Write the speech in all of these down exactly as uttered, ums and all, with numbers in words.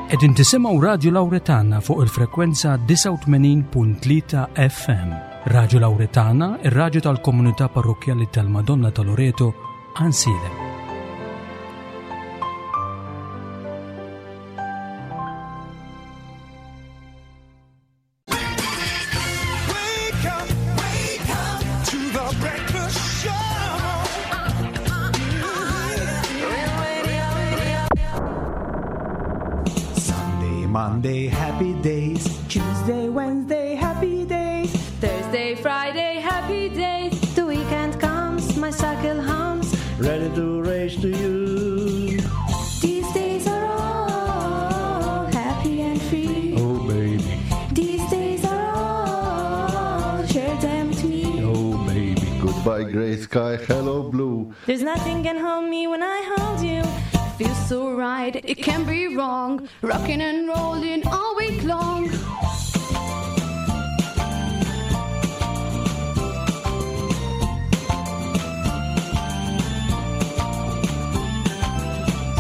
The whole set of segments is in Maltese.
Qegħdin tisimgħu Radju Lawretana fuq il-frekwenza disgħa u tmenin punt tlieta F M. Radju Lawretana, ir-radju tal-Komunità Parrokkjali tal-Madonna ta' Loreto, Għajnsielem. Wake up, wake up to the breakfast show. Sunday, Monday, happy days. Tuesday, Wednesday, happy days. Thursday, Friday, happy days. The weekend comes, my cycle hums. Ready to race to you. These days are all happy and free. Oh, baby. These days are all, share them with me. Oh, baby. Goodbye, gray sky, hello, blue. There's nothing can hold me when I hold you. Feels so right, it can't be wrong. Rocking and rolling all week long.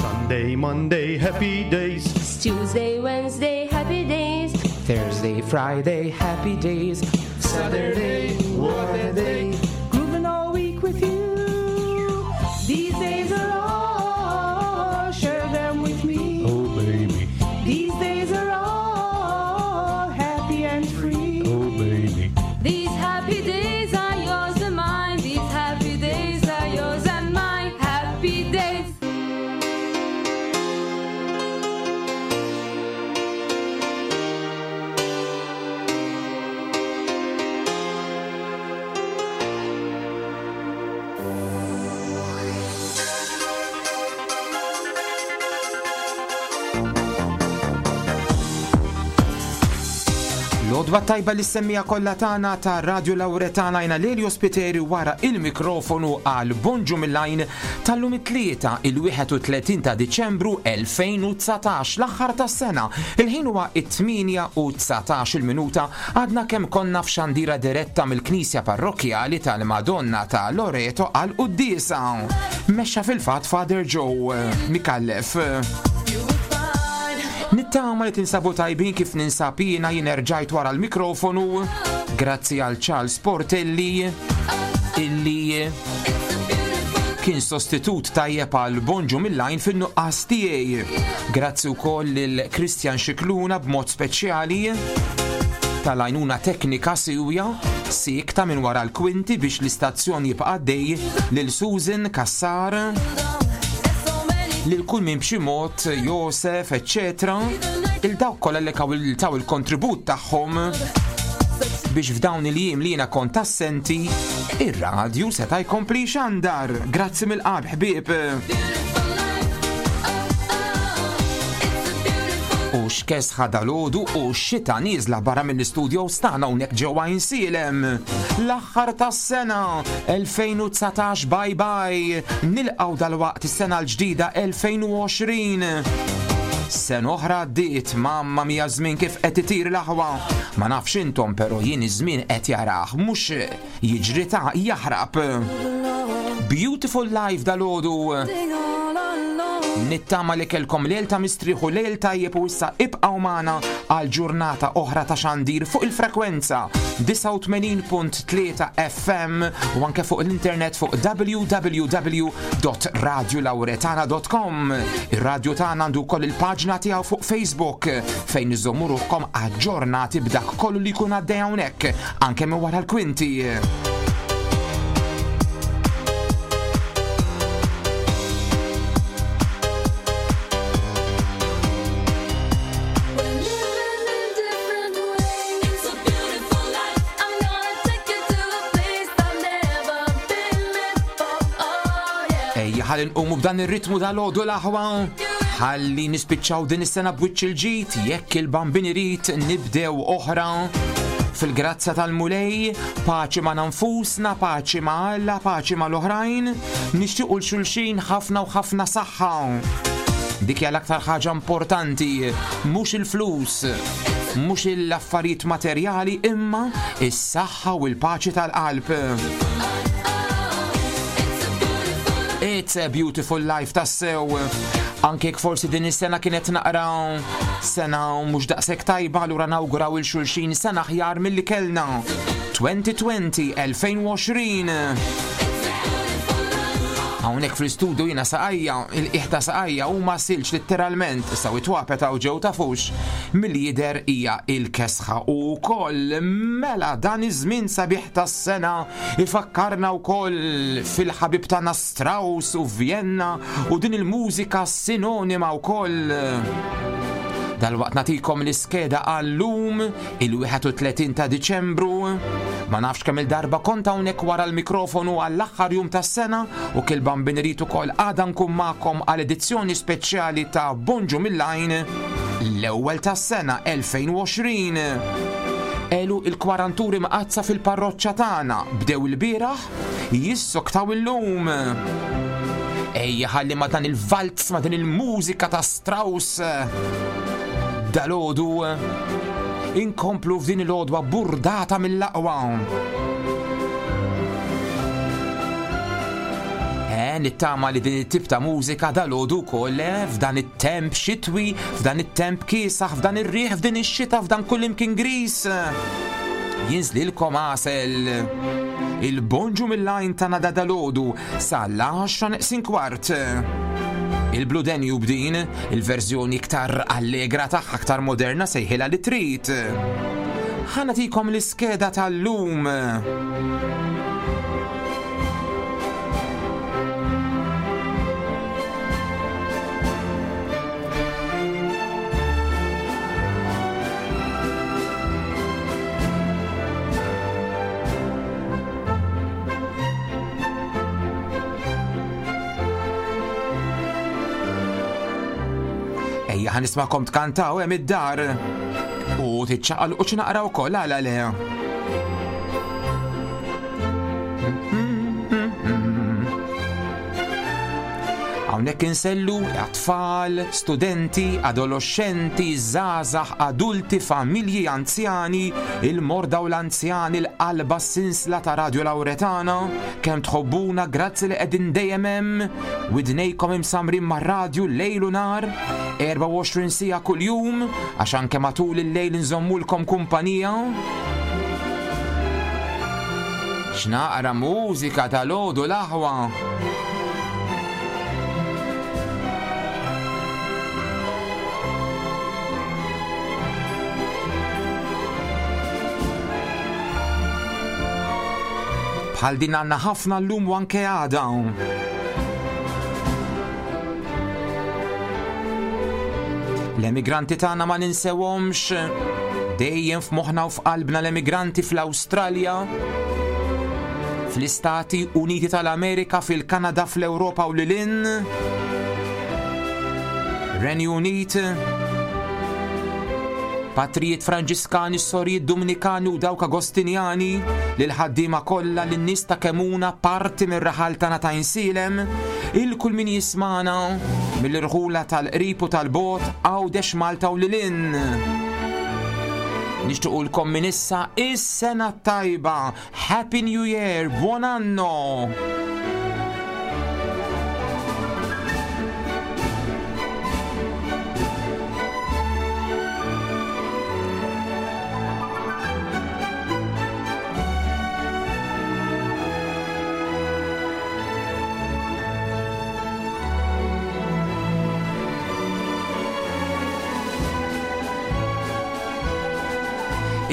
Sunday, Monday, happy days. Tuesday, Wednesday, happy days. Thursday, Friday, happy days. Saturday, what a day. Grooving all week with you. These days are all, share them with me. Oh, baby. These days are all happy and free. Oh, baby. These happy days are yours and mine. These happy days are yours and mine. Happy days. L-għodwa t-tajba lis-semmiegħa kollha tagħna ta' Radio Lawretana. Jiena Lelio Spiteri wara il-mikrofonu għal Bonġu mill-Għajn tal-lum, it-Tlieta, il-wieħed u tletin ta' Diċembru elfejn u dsatax, l-aħħar tas-sena. Il-ħin huwa it-tmienja u dsatax il-minuta. Għadna kemm konna f'xandira diretta mill-Knisja Parrokkjali tal-Madonna ta' Loreto għal quddiesa. Mexxa fil-fatt Father Joe Mikallef. Nittama li tinsabu tajbin kif ninsab jiena. Jien erġajt wara l-mikrofonu grazzi għal Charles Portelli, illi kien sostitut tajjeb għal Bonġu mill-Għajn fin-nuqqas tiegħi. Grazzi wkoll lil Christian Xikluna b'mod speċjali tal-għajnuna teknika siwja sikta minn wara l-kwinti biex l-istazzjon jibqa' għaddej, lil Susan Kassar, lil kull minn b'xi mod, Josef, eccetera. Lil dawk kollha li kaw taw il-kontribut tagħhom biex f'dawn il-jiem li jiena kont assenti, ir-radju seta' jkompli xandar. Grazzi mill-qalb, ħbieb. U x'kesħa dalgħodu u xita nieżla barra mill-istudio tagħna hawnhekk ġewwa Għajnsielem. L-aħħar tas-sena elfejn u dsatax, bye bye. Nilqgħu dalwaqt is-sena l-ġdida elfejn u għoxrin. Sena oħra għaddiet, mamma mia, żmien kif qed itir, l-aħwa. Ma nafx intom, però jien iż-żmien qed jarah, mhux jiġri ta' jaħrab. Beautiful life dalgħodu. Nittama li kellkom lejl ta' mistrieħ u lejl tajjeb u issa ibqgħu magħna għal ġurnata oħra ta' xandir fuq il-frekwenza disgħa u tmenin punt tlieta F M u anke fuq l-internet fuq w w w punt radiolauretana punt com. Ir-radju tagħna għandu wkoll il-paġna tiegħu fuq Facebook fejn iżommu ruħkom aġġornati b'dak kollu li jkun għaddej hawnhekk anke minn wara l-kwinti. We're living in different ways. It's a beautiful life. I'm gonna take you to a place I've never been before. Oh yeah. Ejja ħalli nqumu b'dan ir-ritmu dalgħodu, l-aħwa. Ħalli nispiċċaw din is-sena b'wiċċ il-ġid, jekk il-Bambin irid nibdew oħra fil-grazzja tal-Mulej, paċi ma' nfusna, paċi ma' Alla, paċi ma' l-oħrajn, nixtiequ lil xulxin ħafna u ħafna saħħa. Dik hija l-aktar ħaġa importanti, mhux il-flus, mhux l-affarijiet materjali, imma is-saħħa u l-paċi tal-qalb. It's a beautiful life tassew. Anke jekk forsi din is-sena kienet naqra sena mhux daqshekk tajba, allura nawguraw il xulxin sena aħjar milli kellna. twenty twenty, elfejn u għoxrin. Hawnhekk fl-istudio jiena saqajja, il-qiegħ ta' saqajja huma silġ letteralment, issa witwapet hawn ġew tafux, milli jidher hija il-kesħa u wkoll. Mela dan iż-żmien sabiħ tas-sena ifakkarna wkoll fil-ħabib tagħna Strauss u Vienna u din il-mużika sinonima wkoll. Dalwaqt nagħtikom l-iskeda għal-lum, il-wieħed u tletin ta' Diċembru. Ma nafx kemm il-darba kont hawnhekk wara l-mikrofonu għall-aħħar jum tas-sena u jekk il-Bambin irid ukoll għada nkun magħkom għal edizzjoni speċjali ta' Bonġu mill-Għajn, l-ewwel tas-sena elfejn u għoxrin. Elu il-kwaranturi mqaddsa fil-parroċċa tagħna bdew il-bieraħ, jissoktaw illum. Ejja ħalli ma dan il-valz, ma din il-mużika ta' Strauss dalgħodu inkomplu f'din il-għodwa burdata mill-aqwa. Eh, nittama li din it-tip ta' mużika dalgħodu wkoll eh, f'dan it-temp xitwi, f'dan it-temp kiesaħ, f'dan ir-riħ, f'din ix-xita, f'dan kull imkien gris. Jinżlilkom għasel. Il-Bonġu mill-Għajn ta' da dalgħodu sal-għaxra neqsin kwart. Il-Blue Danube din, il-verżjoni iktar allegra tagħha, aktar moderna, sejħilha li trid. Ħa nagħtikom l-iskeda tal-lum. Ejja ħa nismagħkom tkantaw hemm id-dar. U tiċċaqalqu xi naqra wkoll, għala le. Hawnhekk insellu għat-tfal, studenti, adolescenti, żgħażagħ, adulti, familji, anzjani, il-morda u l-anzjani, l-qalba sinsla ta' Radio Lauretana, kemm tħobbuna, grazzi li qegħdin dejjem hemm, widnejkom imsamrin mar-radju lejl u nhar, erbgħa u għoxrin siegħa kuljum, għax anke matul il-lejl nżommulkom kumpanija. X'naqra mużika dalgħodu l-aħwa. Bħal din għandna ħafna llum u anke għada. L-emigranti tagħna ma ninsewhomx, dejjem f'moħħna u f'qalbna l-emigranti fl-Awstralja, fl-Istati Uniti tal-Amerika, fil-Kanada, fl-Ewropa u lil hinn. Renju Unit, patrijiet Franġiskani, sorijiet Dominikani u dawk Agostinjani, lil ħaddiema kollha, lin-nies ta' Kemuna, parti mir-raħal tagħna ta' Għajnsielem, lil kull min jismagħna mill-irħula tal-qrib u tal-bogħod, Għawdex, Malta u lil hinn. Nixtiequlkom minn issa is-sena tajba. Happy New Year, buon anno!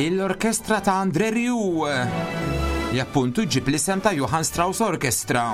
L-orkestra ta' André Rieu li appuntu ġib l-isem ta' Johann Strauss Orchestra.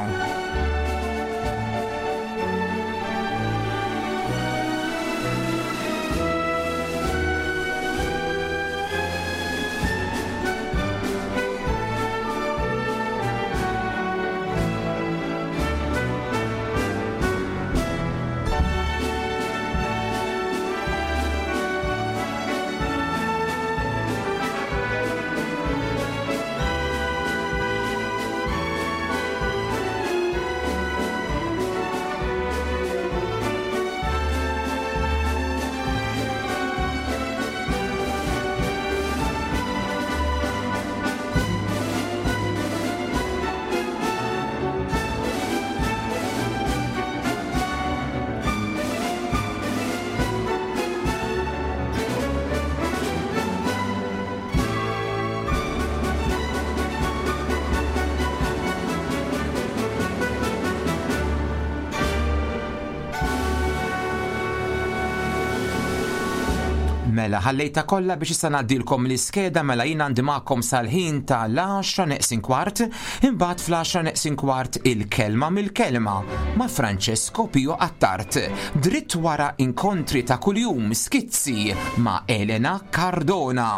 Mela, ħallejta kollha biex issa ngħaddilkom l-iskeda mela jien għandi magħkom sal-ħin tal-għaxra neqsin kwart, imbagħad fl-għaxra neqsin kwart il-kelma mill-kelma ma' Francesco Pio Attard. Dritt wara inkontri ta' kuljum skizzi ma' Elena Cardona.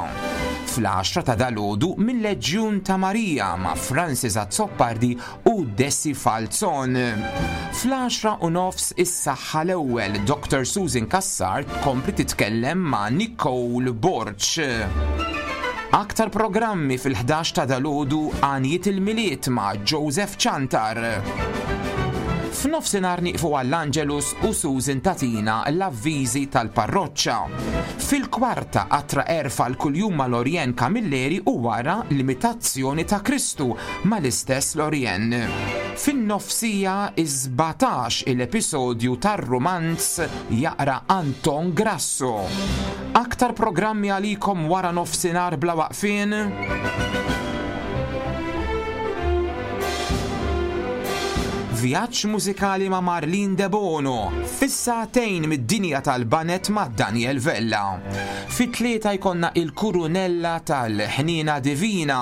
Fl-għaxra ta' dalodu mill-Leġjun ta' Marija ma' Francis Azzopardi u Desi Falzon. Fl-għaxra u nofs is-saħħa l-ewwel Doctor Susan Cassar tkompli titkellem ma' Nicole Borg. Aktar programmi fil-ħdax ta' dalodu għanijiet il-Milied ma' Joseph Chantar. F'nofsinhar nieqfu għall-Angelus u Susan tatina l-avviżi tal-parroċċa. Fil-kwarta qatra erfa l-kuljum ma' Lorien Camilleri u wara l-imitazzjoni ta' Kristu mal-istess Lorien. Fin-nofsija iż-sbatax il-episodju tar-romanz jaqra Anton Grasso. Aktar programmi għalikom wara nofsinhar bla waqfien. Vjaġġ mużikali ma' Marlene De Bono, fis-sagħtejn mid-dinja tal-banet ma' Daniel Vella. Fit-tlieta jkollna il-Kurunella tal-Ħnina Divina.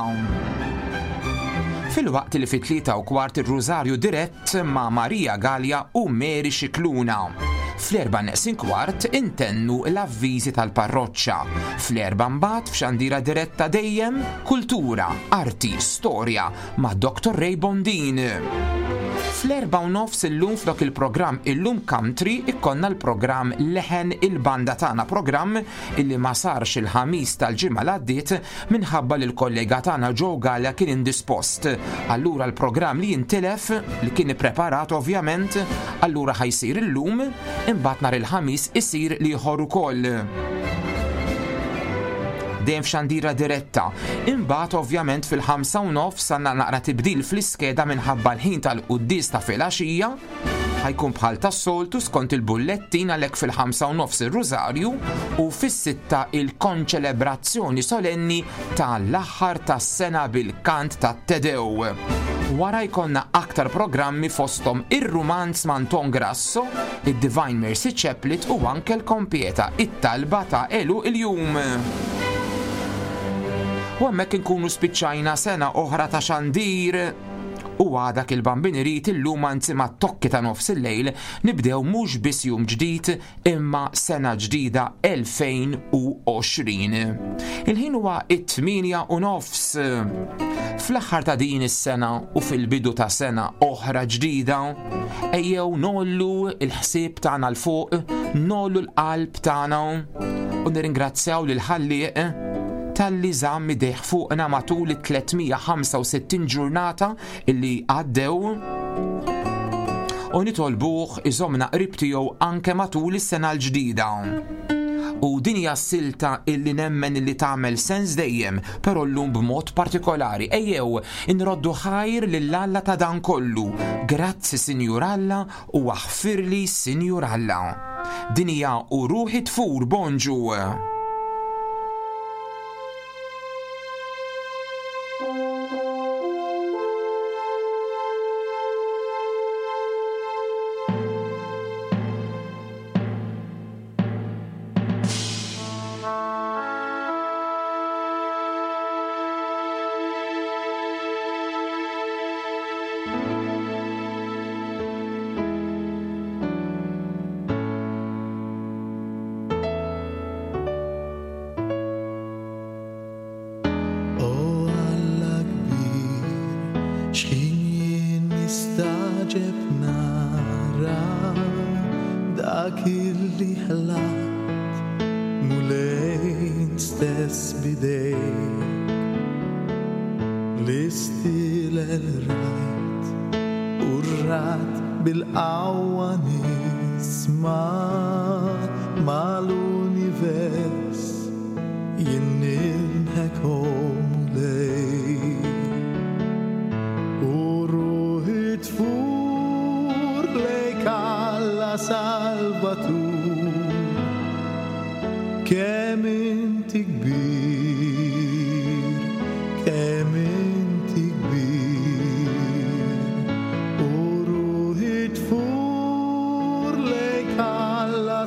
Fil-waqt li fit-tlieta u kwart ir-Rużarju dirett ma' Maria Gallia u Mary Scicluna. Fl-erba' neqsin kwart intennu l-avviżi tal-parroċċa. Fl-erba' mbagħad f'xandira diretta dejjem kultura, arti, storja ma' Doctor Ray Bondin. Fl-erba' u nofs illum flok il-programm Illum Country ikkonna l-programm Leħen il-Banda tagħna, programm illi ma sarx il-ħamis tal-ġimgħa l-għaddiet minħabba li l-kollega tagħna Joe Gallia kien indispost. Allura l-programm li jintilef, li kien ippreparat ovvjament, allura ħajsir illum, imbagħad nhar il-ħamis isir l-ieħor ukoll. Dejjem f'xandira diretta. Imbagħad ovvjament fil-ħamsa u nofs għandna naqra tibdil fl-iskeda minħabba l-ħin tal-quddies ta' filgħaxija. Ħajkun bħal tas-soltu skont il-bullettin għalhekk fil-ħamsa u nofs ir-Rużarju u fis-sitta il-konċelebrazzjoni solenni tal-aħħar tas-sena bil-kant tat-Tedew. Wara jkollna aktar programmi fosthom ir-Rumanz ma' Anton Grasso, id-Divine Mercy Chaplet u anke l-Kompieta, it-talba ta' elu il-jum. U hemmhekk inkunu spiċċajna sena oħra ta' xandir. U għadak il-Bambin irid illum anzi ma' tokki ta' nofs il-lejl nibdew mhux biss jum ġdid imma sena ġdida elfejn u għoxrin. Il-ħin huwa it-tmienja u nofs. Fl-aħħar ta' din is-sena u fil-bidu ta' sena oħra ġdida, ejjew nollu il-ħsieb tagħna l fuq, nollu l-qalb tagħna u nirringrazzjaw lil Ħallieq talli żamm idejh fuqna matul it-tliet mija ħamsa u sittin ġurnata illi għaddew u nitolbuh iżomna qrib tiegħu anke matul is-sena l-ġdida. U din hija silta illi nemmen illi tagħmel sens dejjem, però llum b'mod partikolari. Ejjew inroddu ħajr lil Alla ta' dan kollu. Grazzi Sinjur Alla u aħfirli Sinjur Alla. Din hija u ruħi tfur bonġu.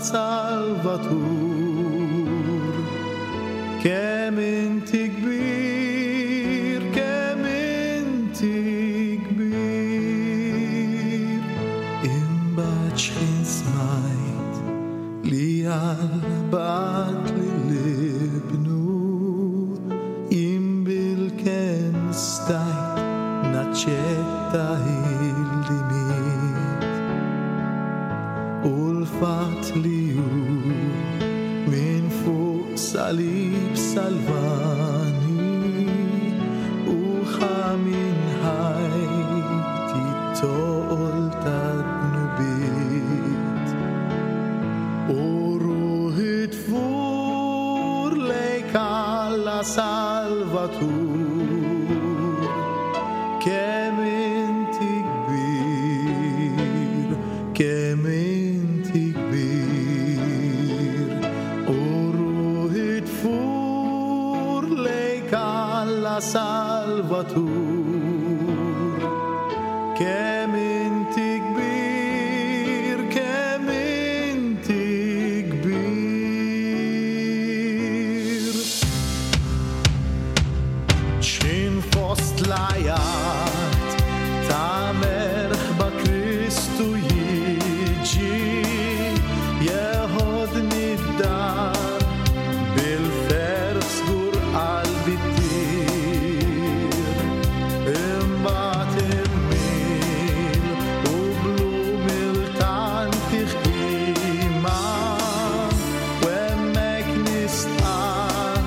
Salvatur. Kemm inti kbir, kemm inti kbir. Imbagħad x'ħin smajt li Alla bagħat lil ibnu, jien bilkemm stajt naċċetta illi miet. U l-fatt li hu minn fuq salib salvani u ħa minn ħajti t-toqol tad-dnubiet. U ruħi tfur lejk Alla Salvatur, kemm inti kbir, kemm inti kbir. U ruħi tfur lejk Alla Salvatur, kemm inti kbir, kemm inti kbir. X'in fost l-għajat ta' merħba Kristu jiġi, jeħodni d-dar bil-ferħ żgur qalbi ttir. Imbagħad immil u bl-umiltà ntih qima, u hemmhekk nistqarr,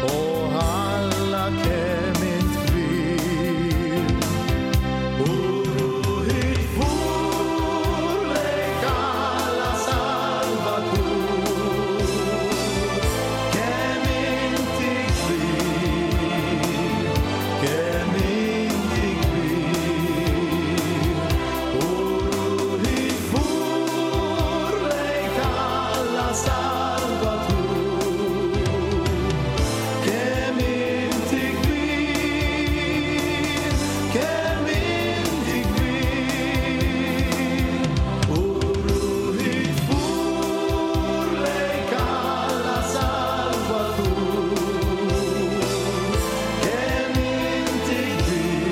o Alla kemm int kbir. U ruħi tfur lejk Alla Salvatur, kemm inti kbir, kemm inti kbir. U ruħi tfur lejk Alla Salvatur, kemm inti kbir, kemm inti kbir. U ruħi tfur lejk Alla Salvatur, kemm inti kbir,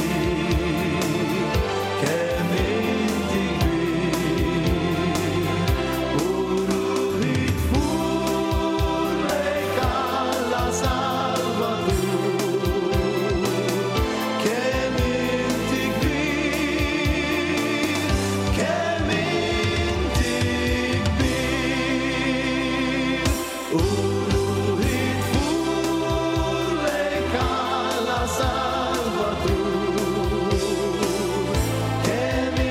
kemm inti kbir. U ruħi tfur lejk Alla Salvatur, kemm inti kbir, kemm inti kbir. U ruħi tfur lejk Alla Salvatur, kemm inti kbir,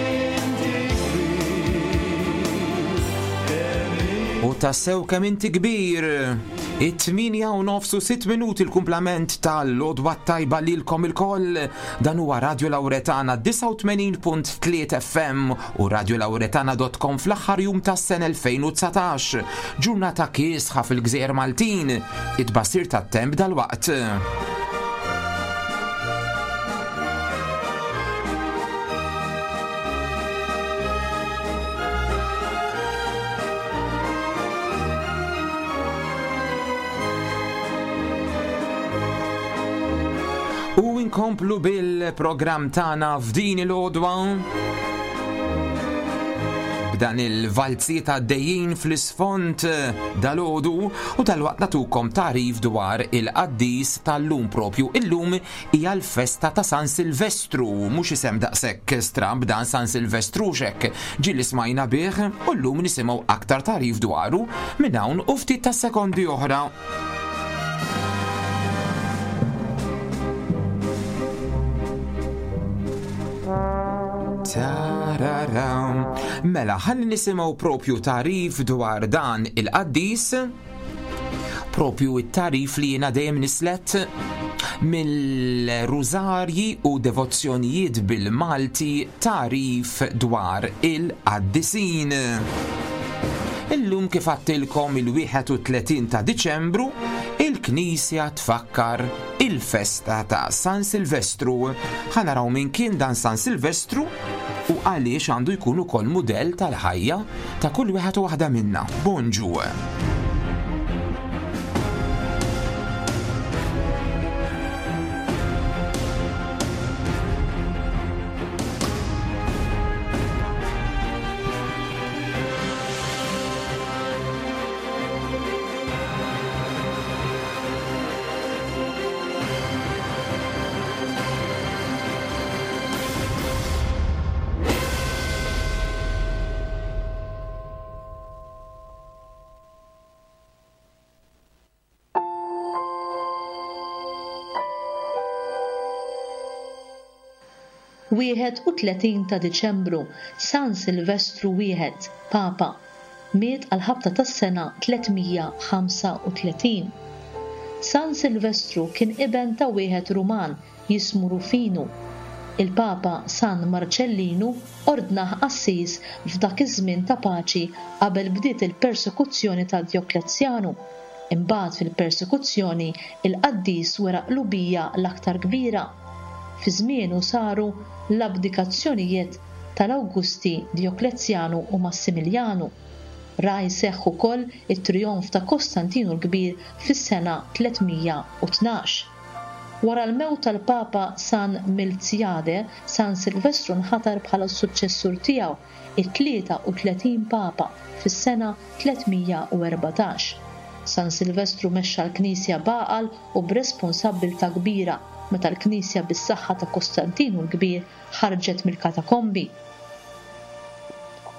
kemm inti U tassew kemm inti kbir. It-tmienja u nofs u sitt minuti l-kumplament tal-għodwa t-tajba lilkom ilkoll. Dan huwa Radio Lauretana disgħa u tmenin punt tlieta F M u radiolauretana punt com fl-aħħar jum tas-sena elfejn u dsatax. Ġurnata kiesħa fil-Gżejjer Maltin. It-tbassir tat-temp dalwaqt. U inkomplu bil-programm tagħna f'din il-għodwa. B'dan il-valziet għaddejjin fl-isfond dal-għodu u dalwaqt nagħtukom tagħrif dwar il-qaddis tal-lum propju. Illum hija l-festa ta' San Silvestru, mhux isem daqshekk stramb dan San Silvestru xek. Ġieli smajna bih u llum nisimgħu aktar tagħrif dwaru minn hawn u ftit ta' sekondi oħra. Tararam. Mela, ħalli nisimgħu propju tagħrif dwar dan il-qaddis, propju it-tagħrif li jiena dejjem nislet mill-rużarji u devozzjonijiet bil-Malti, tagħrif dwar il-qaddisin. Illum kif għedtilkom il-wieħed u tletin ta' Diċembru, il-Knisja tfakkar il-festa ta' San Silvestru. Ħa naraw min kien dan San Silvestru u għaliex għandu jkun ukoll mudell tal-ħajja ta' kull wieħed u waħda minna. Bonġu. Wieħed u tletin ta' Diċembru, San Silvestru wieħed, Papa, miet għal ħabta tas-sena tliet mija ħamsa u tletin. San Silvestru kien iben ta' wieħed Ruman jismu Rufinu. Il-Papa San Marcellinu ordnah qassis f'dak iż-żmien ta' paċi qabel bdiet il-persekuzzjoni ta' Djoklezjanu. Imbagħad fil-persekuzzjoni il-qaddis wera qlubija l-aktar kbira. Fi żmienu saru l-abdikazzjonijiet tal-Awgusti Djoklezjanu u Massimiljanu. Ra jseħħ ukoll it-trijonf ta' Kostantinu l-Kbir fis-sena tliet mija u tnax. Wara l-mewt tal-Papa San Milziade, San Silvestru nħatar bħala s-suċċessur tiegħu, it-tlieta u tletin Papa, fis-sena tliet mija u erbatax. San Silvestru mexxa l-Knisja b'għaqal u b'responsabbiltà kbira meta l-Knisja bis-saħħa ta' Kostantinu l-Kbir ħarġet mill-katakombi.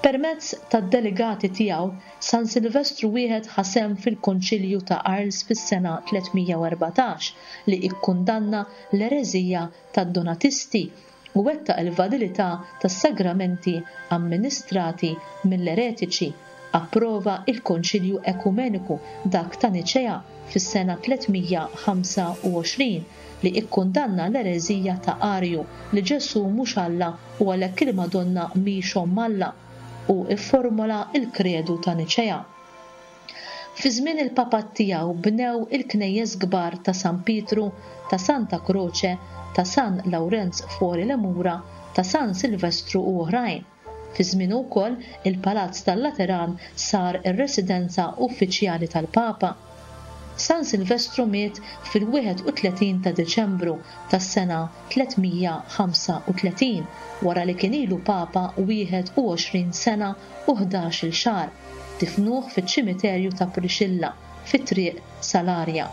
Permezz tad-delegati tiegħu, San Silvestru wieħed ħa sehem fil-Konċilju ta' Arles fis-sena tliet mija u erbatax li ikkundanna l-ereżija tad-Donatisti u wettaq il-validità tas-sagramenti amministrati mill-eretiċi. Approva il-Konċilju Ekumeniku dak ta' Niċea fis-sena tliet mija ħamsa u għoxrin li ikkundanna l-ereżija ta' Arju li Ġesù mhux Alla u għalhekk il-Madonna mhix omm Alla, u fformola l-kredu ta' Niċea. Fi żmien il-papat tiegħu bnew il-knejjes kbar ta' San Pietru, ta' Santa Croce, ta' San Lawrenz fuori le Mura, ta' San Silvestru u oħrajn. Fi żmienu wkoll il-Palazz tal-Lateran sar ir-residenza uffiċjali tal-Papa. San Silvestru miet fil-wieħed u tletin ta' Diċembru tas-sena tliet mija ħamsa u tletin wara li kien ilu Papa wieħed u għoxrin sena u ħdax-il xahar. Difnuh fiċ-ċimiterju ta' Priscilla fi triq Salaria.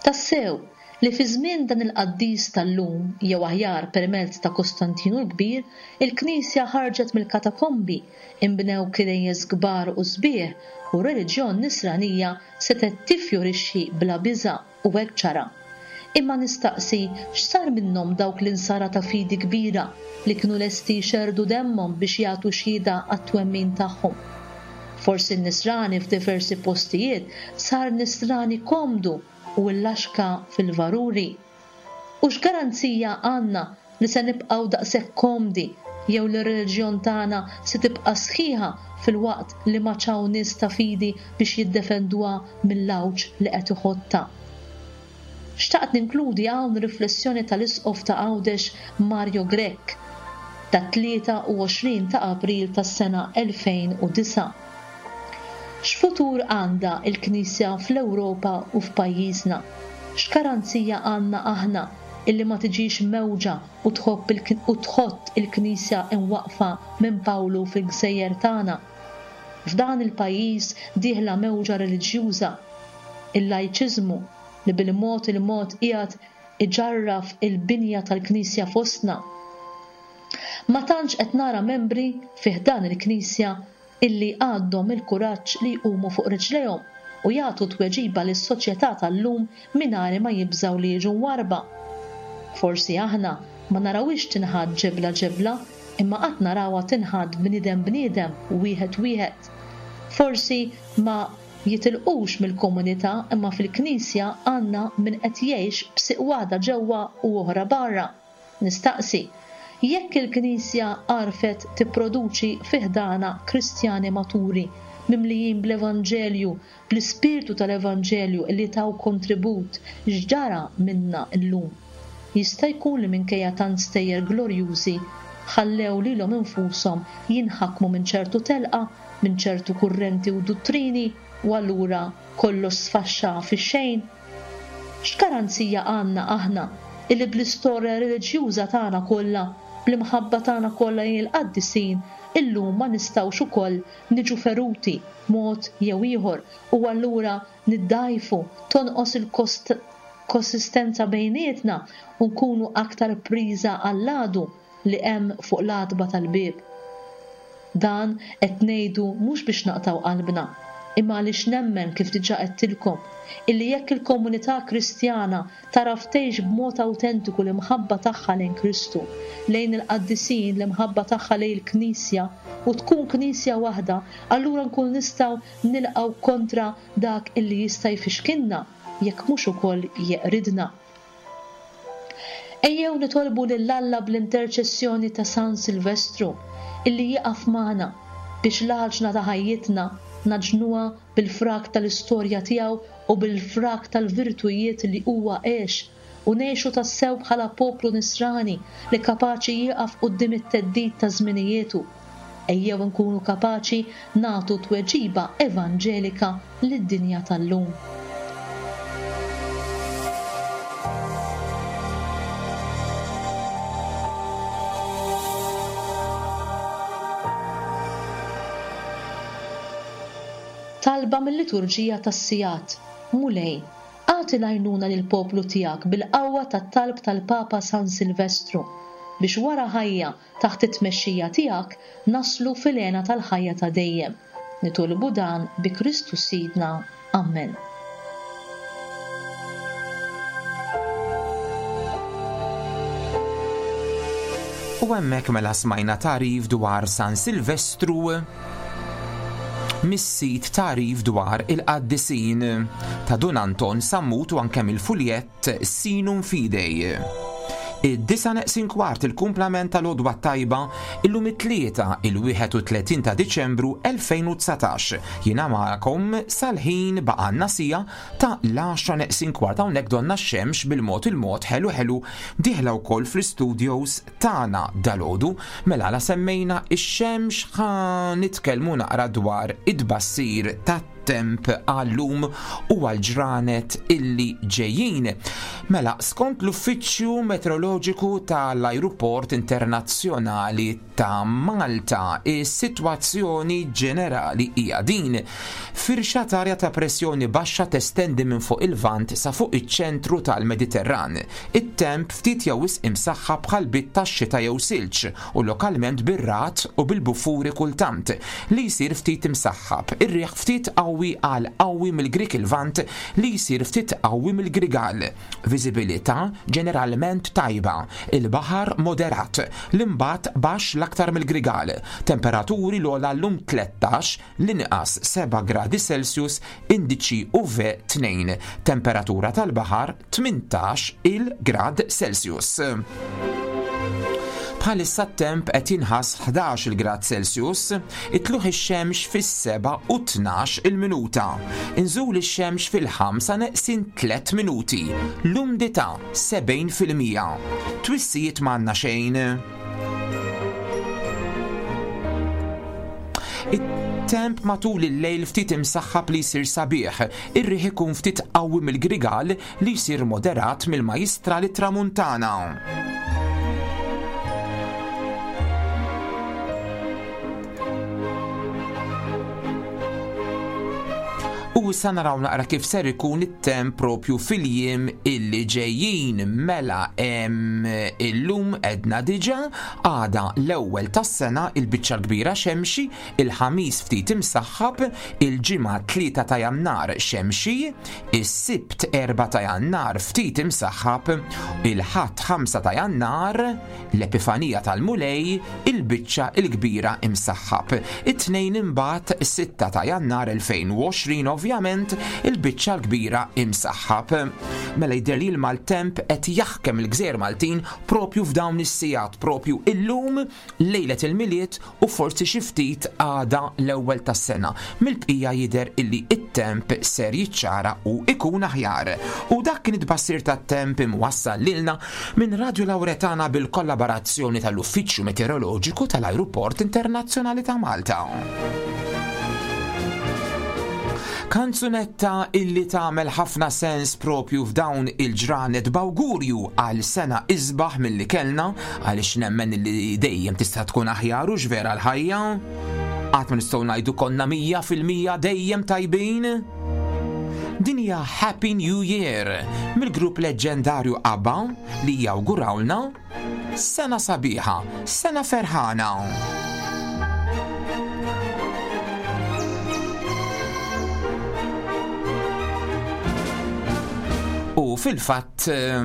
Tassew li fi żmien dan il-qaddis tal-lum, jew aħjar permezz ta' Kostantinu l-Kbir, il-Knisja ħarġet mill-katakombi, inbnew knejjes kbar u sbieħ u r-reliġjon nisranija setgħet tifjorixxi bla biża' u hekk ġara. Imma nistaqsi x'sar minnhom dawk l-insara ta' fidi kbira li kienu lesti jxerrdu demmhom biex jagħtu xhieda għat-twemmin tagħhom. Forsi n-nisrani f'diversi postijiet sar nisrani komdu u l-laxka fil-varuri. U x'garanzija għandna li se nibqgħu daqshekk komdi jew li r-reliġjon tagħna se tibqa' sħiħa fil-waqt li ma ċaw nies ta' fidi biex jiddefenduha mill-għawġ li qed iħotta. Xtaqt ninkludi hawn riflessjoni tal-Isqof ta' Għawdex Mario Grech ta' tlieta u għoxrin ta' April tas-sena elfejn u disgħa. X'futur għandha l-Knisja fl-Ewropa u f'pajjiżna? X'garanzija għandna aħna illi ma tiġix mewġa u tħobb il-, u tħott il-Knisja imwaqfa minn Pawlu fil-gżejjer tagħna? F'dan il-pajjiż dieħla mewġa reliġjuża, il-lajċiżmu li bil-mod il-mod qiegħed iġarraf il-binja tal-Knisja fostna. Ma tantx qed nara membri fi ħdan il-Knisja illi għandhom il-kuraġġ li jqumu fuq riġlejhom u jagħtu tweġiba lis-soċjetà tal-lum mingħajr ma jibżgħu li jiġu mwarba. Forsi aħna ma narawhiex tinħadd ġebla ġebla, imma qatt narawha tinħadd bniedem bniedem wieħed wieħed. Forsi ma jitilqux mill-komunità, imma fil-Knisja għandna min qed jgħix b'siq waħda ġewwa u oħra barra. Nistaqsi, jekk il-Knisja għarfet tipproduċi fi ħdana Kristjani maturi, mimlijin bl-Evanġelju, bl-ispirtu tal-Evanġelju li taw kontribut, x'ġara minna llum? Jista' jkun li minkejja tant stejjer glorjużi ħallew lilhom infushom jinħakmu minn ċertu telqa, minn ċertu kurrenti u duttrini, u allura kollox sfaxxa fix-xejn? X'garanzija għandna aħna illi bl-istorja reliġjuża tagħna kollha, bl-imħabba tagħna kollha lejn il-qaddisin, illum ma nistgħux ukoll niġu feruti mod jew ieħor u allura niddajfu, tonqos il-konsistenza bejnietna u nkunu aktar priża għall-għadu li hemm fuq l-għatba tal-bieb. Dan qed ngħidu mhux biex naqtgħu qalbna, imma għaliex nemmen kif diġà għedtilkom illi jekk il-komunità Kristjana taraf tgħix b'mod awtentiku l-imħabba tagħha lejn Kristu, lejn il-qaddisin, l-imħabba tagħha lejn il-Knisja u tkun Knisja waħda, allura nkun nistgħu nilqgħu kontra dak illi jista' jfixkilna jekk mhux ukoll jeqridna. Ejjew nitolbu lil Alla bl-interċessjoni ta' San Silvestru illi jieqaf magħna biex l-għaġna ta' ħajjitna naġnuha bil-frak tal-istorja tiegħu u bil-frak tal-virtujiet li huwa għex u ngħixu tassew bħala poplu nisrani li kapaċi jieqaf quddiem it-theddid ta' żminijietu. Ejjew nkunu kapaċi nagħtu tweġiba evanġelika lid-dinja tal-lum. Talba mill-liturġija tas-sigħat. Mulej, agħti l-għajnuna lill-poplu tiegħek bil-qawwa tat-talb tal-Papa San Silvestru biex wara ħajja taħt it-tmexxija tiegħek naslu fil-hena tal-ħajja ta' dejjem. Nitolbu dan bi Kristu Sidna. Amen. U hemmhekk mela smajna tagħrif dwar San Silvestru mis-sit tagħrif dwar il-qaddisin ta' Dun Anton Sammut u anke mill-fuljett Sinum Fidei. Id-disa neqsin kwart il-kumplament tal-għodwa tajba illum it-tlieta il-wieħed u tletin ta' Diċembru elfejn u dsatax. Jiena magħkom sal-ħin baqgħalna sija ta' l-għaxra neqsin kwart hawnhekk donna x-xemx bil-mod il-mod ħelu ħelu dieħla wkoll fl-istudios tagħna dalgħodu. Mela la semmejna x-xemx ħa nitkellmu naqra dwar id-bassir tat-temp għallum u għal-ġranet illi ġejjin. Mela, skont l-Uffiċċju Meteoroloġiku tal-Ajruport Internazzjonali ta' Malta, is-sitwazzjoni ġenerali hija din. Firxa t'arja ta' pressjoni baxxa testendi minn fuq il-Lvant sa fuq iċ-ċentru tal-Mediterran. It-temp ftit jew wisq imsaħħa bħal bit tax-xita jew silġ u lokalment bir-ragħad u bil-buffuri kultant li jsir ftit imsaħħab. Ir-riħ ftit qawwi għal qawwi mill-Grik il-Lvant li jsir ftit qawwi mill-Grigal. Viżibilità ġeneralment tajba, il-baħar moderat, l-imbat baxx l-aktar mill-Grigal. Temperaturi l-ogħla llum tlettax, l-inqas seba' gradi Celsius, indiċi U V tnejn. Temperatura tal-baħar tmintax il-grad Celsius. Bħalissa t-temp qed jinħass ħdax il-grad Celsius, itluħ ix-xemx fis-seba' u tnax il-minuta. Inżul ix-xemx fil-ħamsa neqsin tliet minuti. L-umdità sebgħin fil-mija. Twissijiet m'għandna xejn. It-temp matul il-lejl ftit imsaħħab li jsir sabiħ, ir-riħ ikun ftit qawwi mill-Grigal li jsir moderat mill-Majjistral Tramuntana. U issa naraw naqra kif ser ikun it-temp propju fil-jiem illi ġejjin. Mela hemm illum edna diġà għada l-ewwel tas-sena il-biċċa l-kbira xemxi, il-ħamis ftit imsaħħab, il-ġimgħa tlieta ta' Jannar xemxi, is-Sibt erba' ta' Jannar ftit imsaħħab, il-Ħadd ħamsa ta' Jannar l-Epifanija tal-Mulej, il-biċċa l-kbira imsaħħab. It-tnejn imbagħad sitta ta' Jannar elfejn u għoxrin ovvjament il-biċċa l-kbira imsaħħab. Mela jidher li l-maltemp qed jaħkem il-gżejjer Maltin propju f'dawn is-sigħat, propju illum lejlet il-Milied u forsi xi ftit għada l-ewwel tas-sena. Mill-bqija jidher illi it-temp ser jiċċara u ikun aħjar. U dak kien it-tbassir tat-temp imwassal lilna minn Radio Lauretana bil-kollaborazzjoni tal-Uffiċċju Meteoroloġiku tal-Ajruport Internazzjonali ta' Malta. Kanzunetta illi tagħmel ħafna sens propju f'dawn il-ġranet b'awgurju għal sena isbaħ milli kellna, għaliex nemmen illi dejjem tista' tkun aħjar u x'vera l-ħajja. Qatt ma nistgħu ngħidu konna mija fil-mija dejjem tajbin. Din hija Happy New Year mill-grupp leġġendarju ABBA li jawgurawlna sena sabiħa, sena ferħana. U fil-fatt eh,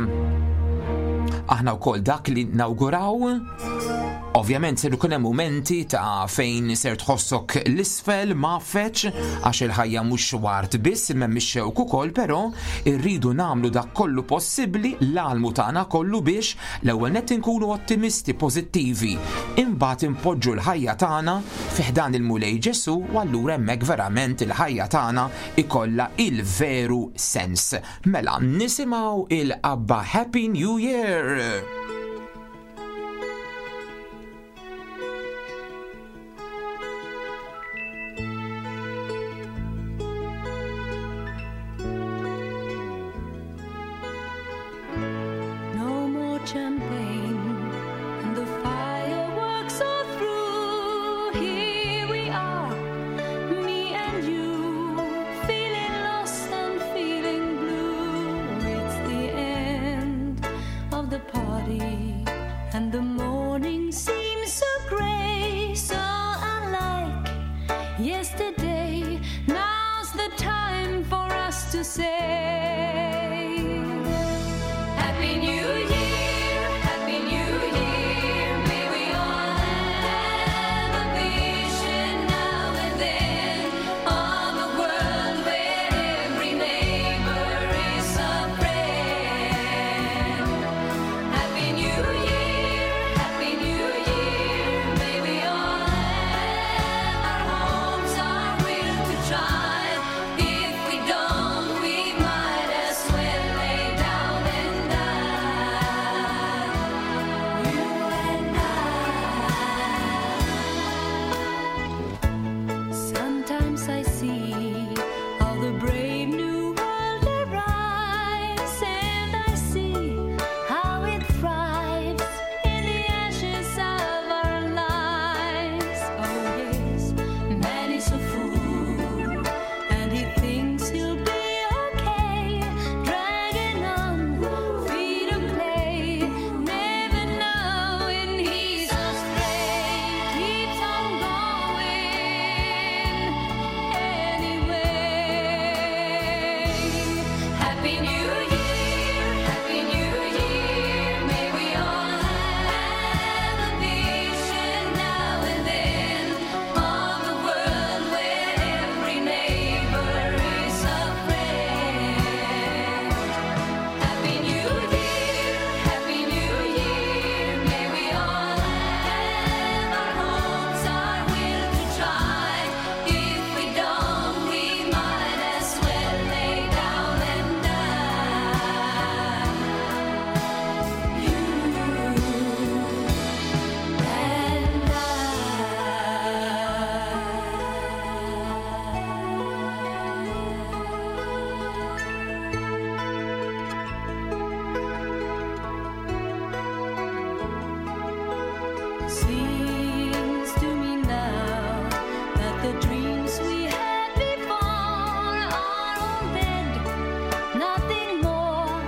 aħna wkoll dak li nawguraw. Ovvjament ser ikun hemm mumenti ta' fejn ser tħossok l-isfel mafeċ għax il-ħajja mhux wart biss imma mhix xewk ukoll, però rridu nagħmlu dak kollu possibbli l-almu tagħna kollu biex l-ewwel nett inkunu ottimisti, pożittivi, imbagħad impoġġu l-ħajja tagħna fi ħdan il-Mulej Ġesu u allura hemmhekk verament il-ħajja tagħna ikollha il-veru sens. Mela nisimgħu il-Abba Happy New Year! No more champagne, and the fireworks are through. Here we are, me and you, feeling lost and feeling blue. It's the end of the party, and the morning seems so gray, so unlike yesterday. Now's the time for us to say. Happy New Year, Happy New Year. May we all have a vision now and then of a world where every neighbor is a friend. Happy New Year, Happy New Year. May we all have our homes, our will to try. If we don't, we might as well lay down and die. You and I. Sometimes I see how the brave new world arrives, and I see how it thrives in the ashes of our lives. Oh yes, man is a fool, and he thinks he'll be okay, dragging on feet of clay, never knowing he's astray. Keeps on going anyway. Happy New Year, Happy New Year. May we all have a vision now and then of a world where every neighbor is a friend. Happy New Year, Happy New Year. May we all have our homes, our will to try. If we don't, we might as well lay down and die. You and I. Seems to me now that the dreams we had before are all dead, nothing more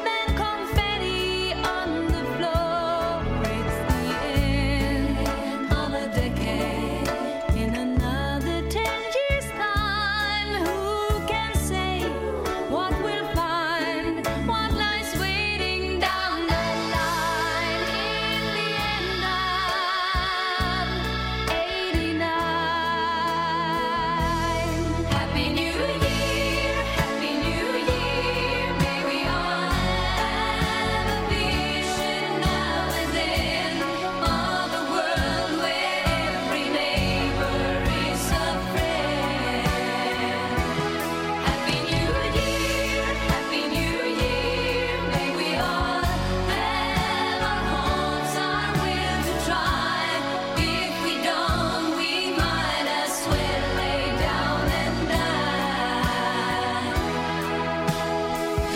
than confetti on the floor. It's the end of a decade. In another ten years' time, who can say what we'll find, what lies waiting down the line? In the end of eighty-nine. Happy New Year, Happy New Year. May we all have a vision now and then of a world where every neighbor is a friend. Happy New Year, Happy New Year. May we all have our homes, our will to try. If we don't, we might as well lay down and die.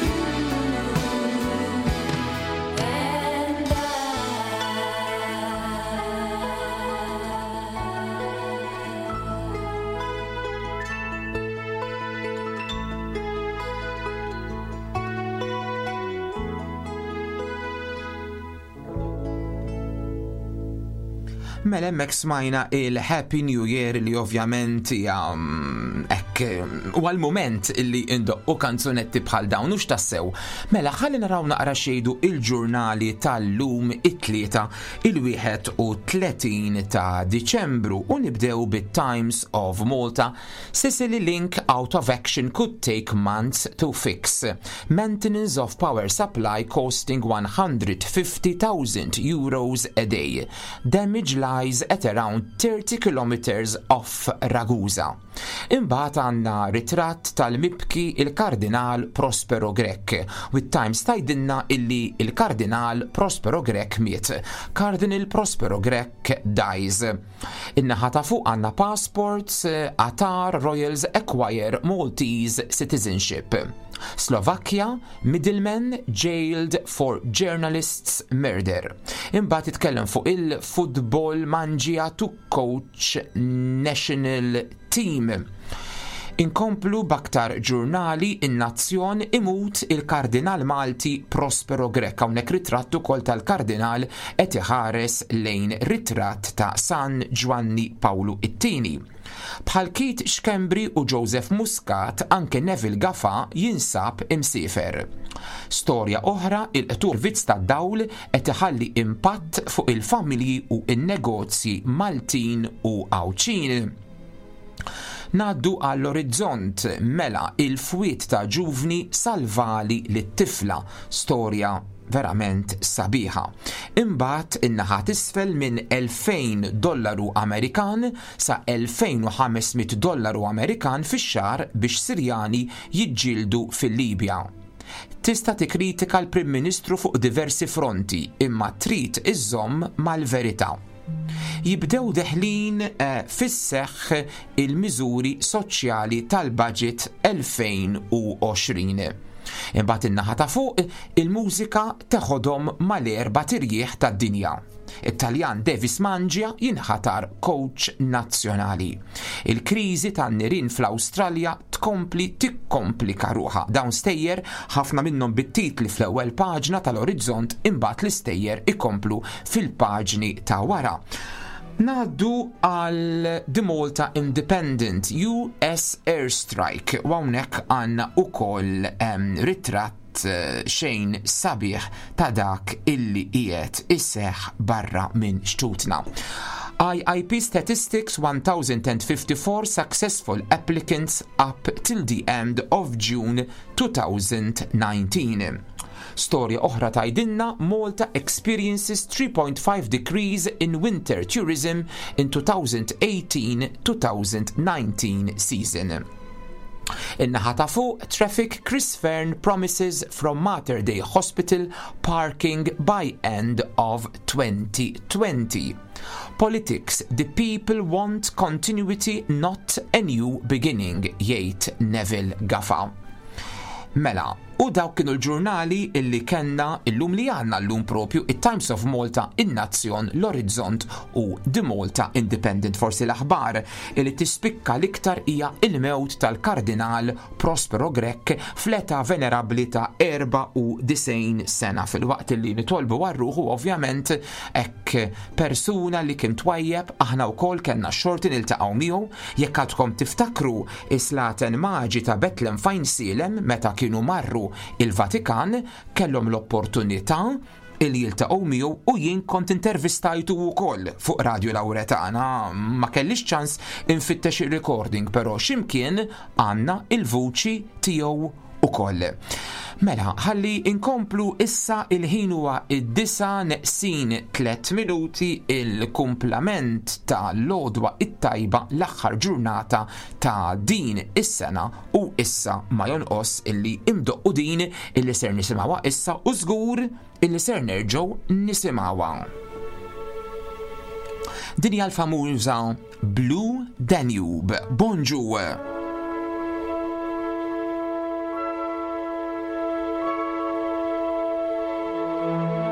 You and Mela hemmhekk smajna il-Happy New Year li ovvjament hija mm, hekk Hekk, u għal-moment illi indoqqu kanzunetti bħal dawn u x'tassew. Mela ħalli naraw naqra xejdu il-ġurnali tal-lum it-tlieta il-wieħed u tletin ta' Diċembru u nibdew bit-Times of Malta. Sicily Link out of action could take months to fix. Maintenance of power supply costing one hundred fifty thousand euros a day. Damage lies at around thirty kilometers off Ragusa. Imbagħad għandna ritratt tal-mibki il-Kardinal Prospero Grech. With Times tajdinna illi il-Kardinal Prospero Grech miet. Cardinal Prospero Grech dies. In-naħa ta' fuq għandna passports, Qatar Royals acquire Maltese citizenship. Slovakia, middleman jailed for journalists murder. Imbagħad titkellem fuq il-football Mangia to coach national team. Inkomplu baktar ġurnali, in-Nazzjon imut il-Kardinal Malti Prospero Grech. Hawnhekk ritratt ukoll tal-Kardinal qed iħares lejn ritratt ta' San Ġwanni Pawlu it-tieni. Bħal Keith Schembri u Joseph Muscat, anke Neville Gafa jinsab imsiefer. Storja oħra, il-qtur vizz tad-dawl qed iħalli impatt fuq il-familji u n-negozji Maltin u Għawdxin. Naddu għall-orizzont, mela il-fwiet ta' ġuvni salvali lit-tifla, storja verament sabiħa. Imbagħad in-naħa t'isfel minn elfejn dollaru Amerikan sa elfejn u ħames mitt dollaru Amerikan fix-xahar biex Sirjani jiġġieldu fil-Libja. Tista' tikkritika l-Prim Ministru fuq diversi fronti, imma trid iżżomm mal-verità. Jibdew deħlin, eh, fis-seħħ il-miżuri soċjali tal-budget elfejn u għoxrin. Imbagħad in-naħa ta' fuq il-mużika teħodhom mal-erba' tirjieħ tad-dinja. It-Taljan Devis Mangia jinħatar coach nazzjonali. Il-kriżi tan-nirien fl-Awstralja tkompli tikkomplika ruħha. Dawn stejjer ħafna minnhom bit-titli fl-ewwel paġna tal-Orizzont, imbagħad l-istejjer ikomplu fil-paġni ta' wara. Naddu għal The Malta Independent, U S Airstrike, u hawnhekk għandna ukoll, em, ritratt, eh, xejn sabiħ ta' dak illi qiegħed iseħħ barra minn xtutna. I I P statistics one thousand and fifty-four successful applicants up till the end of June two thousand nineteen. Storja oħra tajdinna Malta experiences three point five decrease in winter tourism in two thousand eighteen two thousand nineteen season. In-naħa ta' fuq, traffic Chris Fearne promises from Mater Dei Hospital parking by end of twenty twenty. Politics, the people want continuity, not a new beginning, jgħid Neville Gafa. Mela, u dawk kienu l-ġurnali illi kellna illum li għandna llum propju it-Times of Malta, in-Nazzjon, l-Orizzont u The Malta Independent. Forsi l-aħbar illi tispikka l-iktar hija il-mewt tal-Kardinal Prospero Grech fl-età venerabbli ta' erba' u disgħin sena, fil-waqt illi nitolbu għar-ruħu ovvjament hekk persuna li kien twajjeb, aħna wkoll kellna x-xorti niltaqgħu miegħu. Jekk għadkom tiftakru is-Slaten Maġi ta' Betlem fejn Silem meta kienu marru il-Vatikan, kellhom l-opportunità illi jiltaqgħu miegħu u jien kont intervistajtu wkoll fuq Radio Lauretana. Ma kellix ċans infittex ir-recording, però x'imkien għandna il-vuċi tiegħu ukoll. Mela, ħalli inkomplu issa il-ħin huwa id-disa neqsin tliet minuti, il-kumplament ta' l-għodwa it-tajba l-aħħar ġurnata ta' din is-sena, u issa ma jonqos illi imdoqqu din illi ser nisimgħuha issa u żgur illi ser nerġgħu nisimgħuha. Din hija l-famuża Blue Danube. Bonġu! Thank you.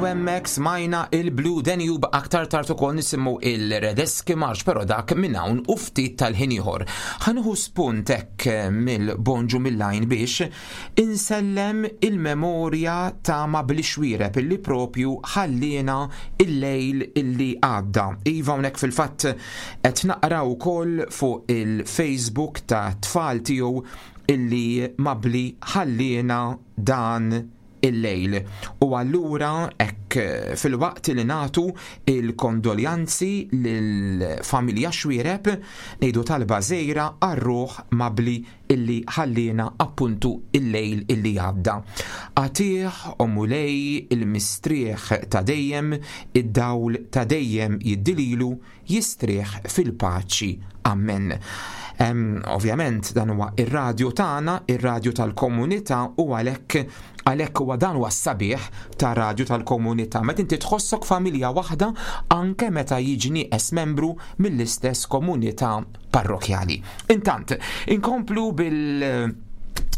Hemmhekk smajna il-Blue Danube, aktar tard ukoll nisimgħu il-Radetzky March, però dak minn hawn u ftit tal-ħin ieħor. Ħa nieħu spunt hekk mill-Bonġu mill-Għajn biex insellem il-memorja ta' Mabli Xuereb illi propju ħallina il-lejl illi għadda. Iva, hawnhekk fil-fatt qed naqra wkoll fuq il-Facebook ta' tfal tiegħu illi Mabli ħallina dan il-lejl. U allura hekk filwaqt li nagħtu il-kondoljanzi lill-familja Xuereb, ngħidu talba żgħira għar-ruħ Mabli illi ħallina appuntu il-lejl illi għadda. Agħtih, o Mulej, il-mistrieħ ta' dejjem, id-dawl ta' dejjem jiddililu, jistrieħ fil-paċi. Amen. Em, ovvjament dan huwa ir-radju tagħna, ir-radju tal-komunità, u għalhekk għalhekk huwa dan huwa s-sabiħ ta' radju tal-komunità. Meta inti tħossok familja waħda anke meta jiġi nieqes membru mill-istess komunità parrokjali. Intant, inkomplu bil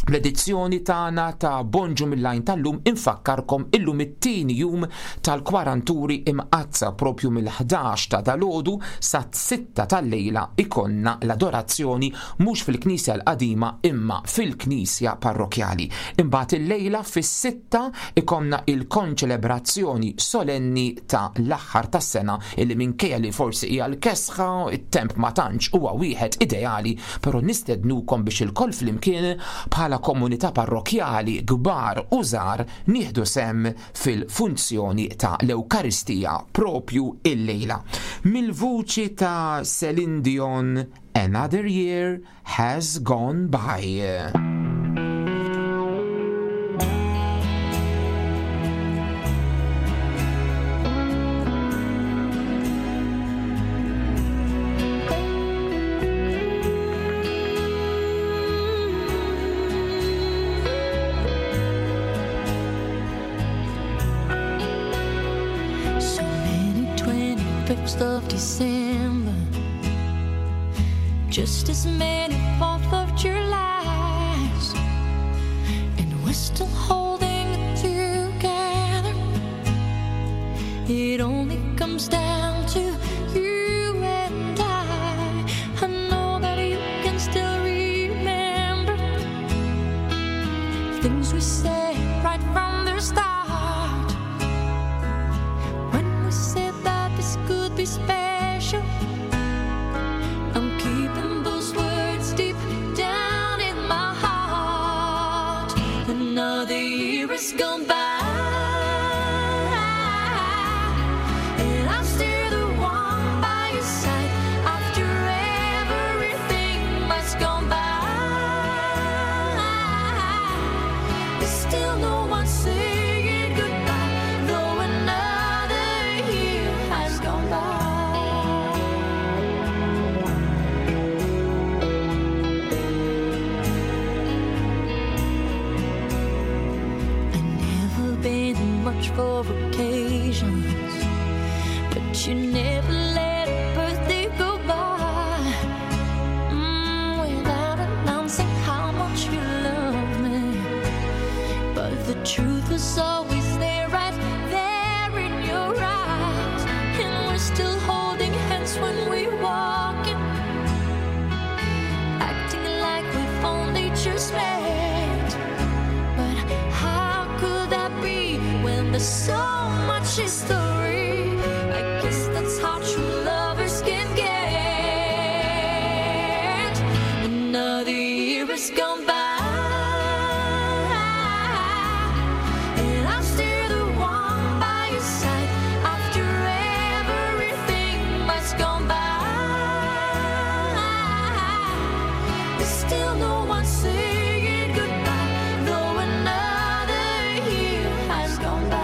l-edizzjoni tagħna ta' Bonġu mill-Għajn tal-lum. Infakkarkom illum it-tieni jum tal-Kwaranturi Imqazza, propju mill-ħdax ta' dalgħodu sa sitta tal-lejla ikonna l-adorazzjoni mhux fil-Knisja l-qadima imma fil-Knisja parrokjali. Imbagħad il-lejla fis-sitta ikonna il-konċelebrazzjoni solenni ta' l-aħħar tas-sena illi minkejja li forsi hija l-kesħa, it-temp ma tantx huwa wieħed ideali, però nistednukom biex ilkoll flimkien bħala komunità parrokjali kbar u żgħar nieħdu sem fil-funzjoni ta' l-Ewkaristija propju il-lejla. Mill-vuċi ta' Celine Dion, Another Year Has Gone By. So many twenty-fifths of December, just as many fourth of Julys, and we're still holding it together. It only comes down to you and I. I know that you can still remember things we said right from the start. When we said that this could be special, I'm keeping those words deep down in my heart. Another year has gone by, and I'm still the one by your side. After everything that's gone by, there's still no one saying goodbye, though another year has gone by. I've never been much for occasions, but you never let a birthday go by mm, without announcing how much you love me. But the truth was always there, right there in your eyes. And we're still holding hands when we walk in, acting like we've only just met. But how could that be when there's so much history? I guess that's how true lovers can get. Another year has gone by, and I'm still the one by your side. After everything that's gone by, there's still no one saying goodbye, though another year has gone by.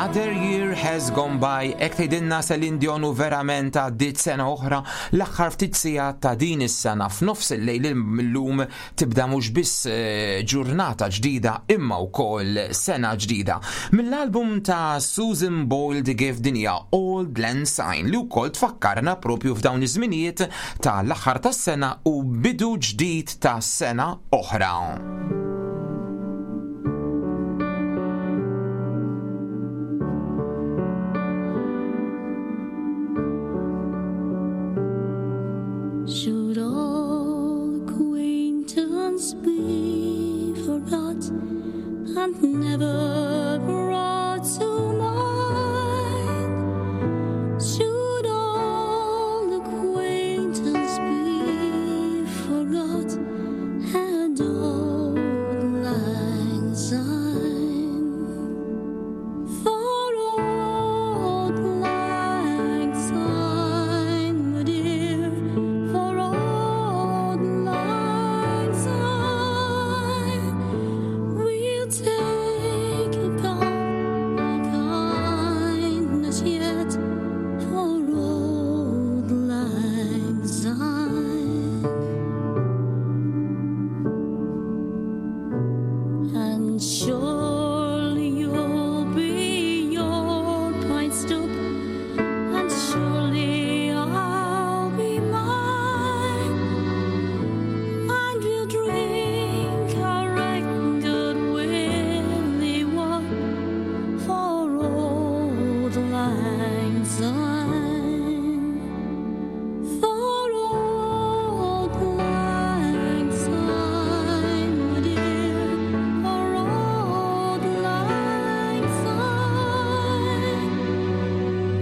Another year has gone by. Hekk tgħidilna Celine Dion u verament għaddiet sena oħra l-aħħar ftit sigħat ta' din is-sena f'nofs il-lejl illum tibda mhux biss eh, ġurnata ġdida imma wkoll sena ġdida. Mill-album ta' Susan Boyle The Gift din hija Auld Lang Syne li wkoll tfakkarna propju f'dawn iż-żminijiet ta' l-aħħar tas-sena u bidu ġdid ta' sena oħra. Should all acquaintance be forgot and never brought to mind? Should all acquaintance be forgot and auld lang syne? For auld lang syne, my dear, for auld lang syne, we'll take a cup of kindness yet for auld lang syne. And surely you'll be your pint stoup, and surely I'll be mine, and we'll drink our right good willy one for auld lang syne. For auld lang syne, my dear, for auld lang syne,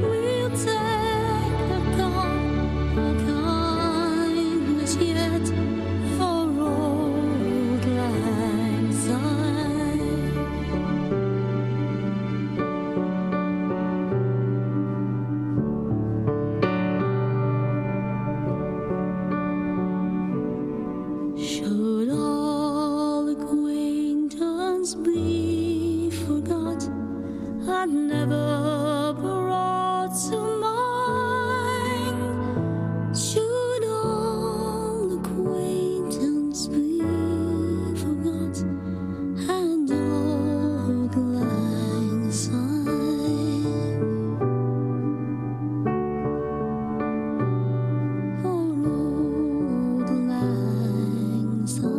we'll take a cup of kindness yet for auld lang syne. Should all acquaintance be forgot and never brought to mind? Should all acquaintance be forgot and auld lang syne? For auld lang syne.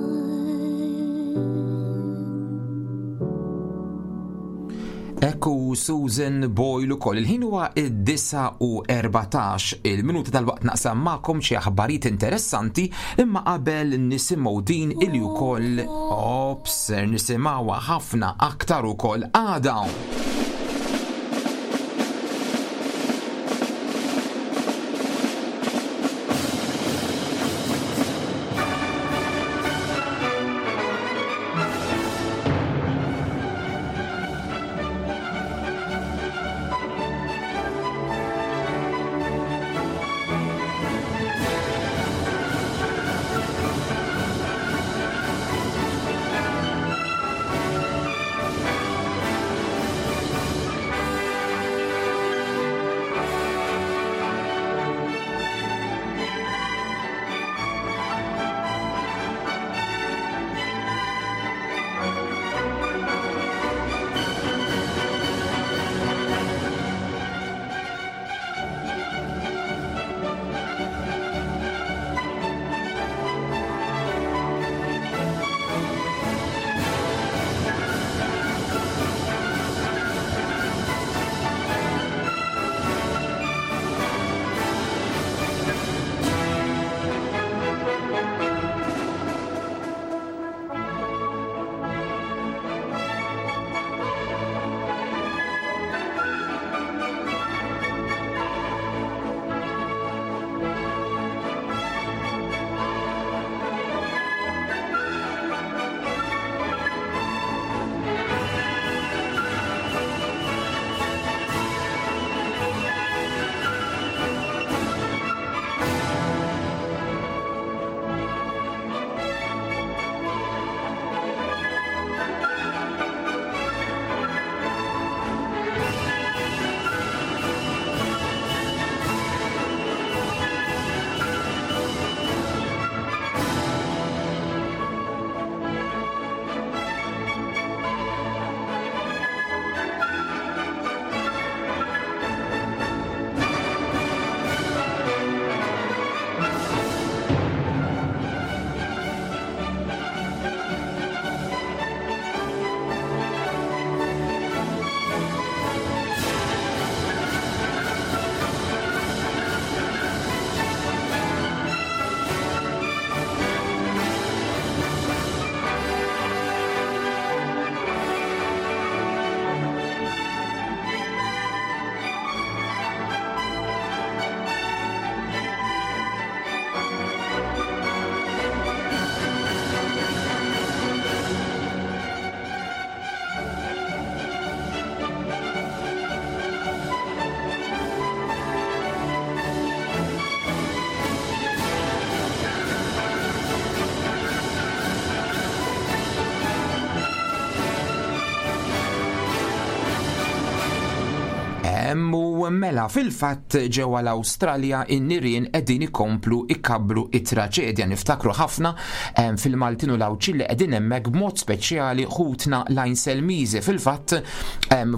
Ekku Susan Boyle ukoll. Il-ħin huwa id-disgħa u erbatax il-minuti tal-waqt naqsam magħkom xi aħbarijiet interessanti imma qabel nisimgħu din illi wkoll ops ser nisimgħuha ħafna aktar ukoll għada. U mela fil-fatt ġewwa l-Awstralja in-nirien qegħdin ikomplu ikabbru it-traġedja. Niftakru ħafna fil-Maltin u l-Għawdxin li qegħdin hemmhekk, b'mod speċjali ħutna l-Għajnselmiżi. Fil-fatt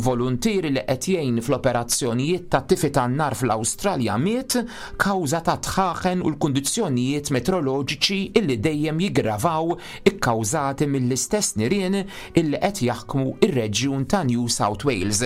voluntieri li qed jgħin fl-operazzjonijiet ta' tifi tan-nar fl-Awstralja miet kawża ta' dħaħen u l-kundizzjonijiet meteoroloġiċi illi dejjem jiggravaw ikkawżati mill-istess nirien illi qed jaħkmu ir-reġjun ta' New South Wales.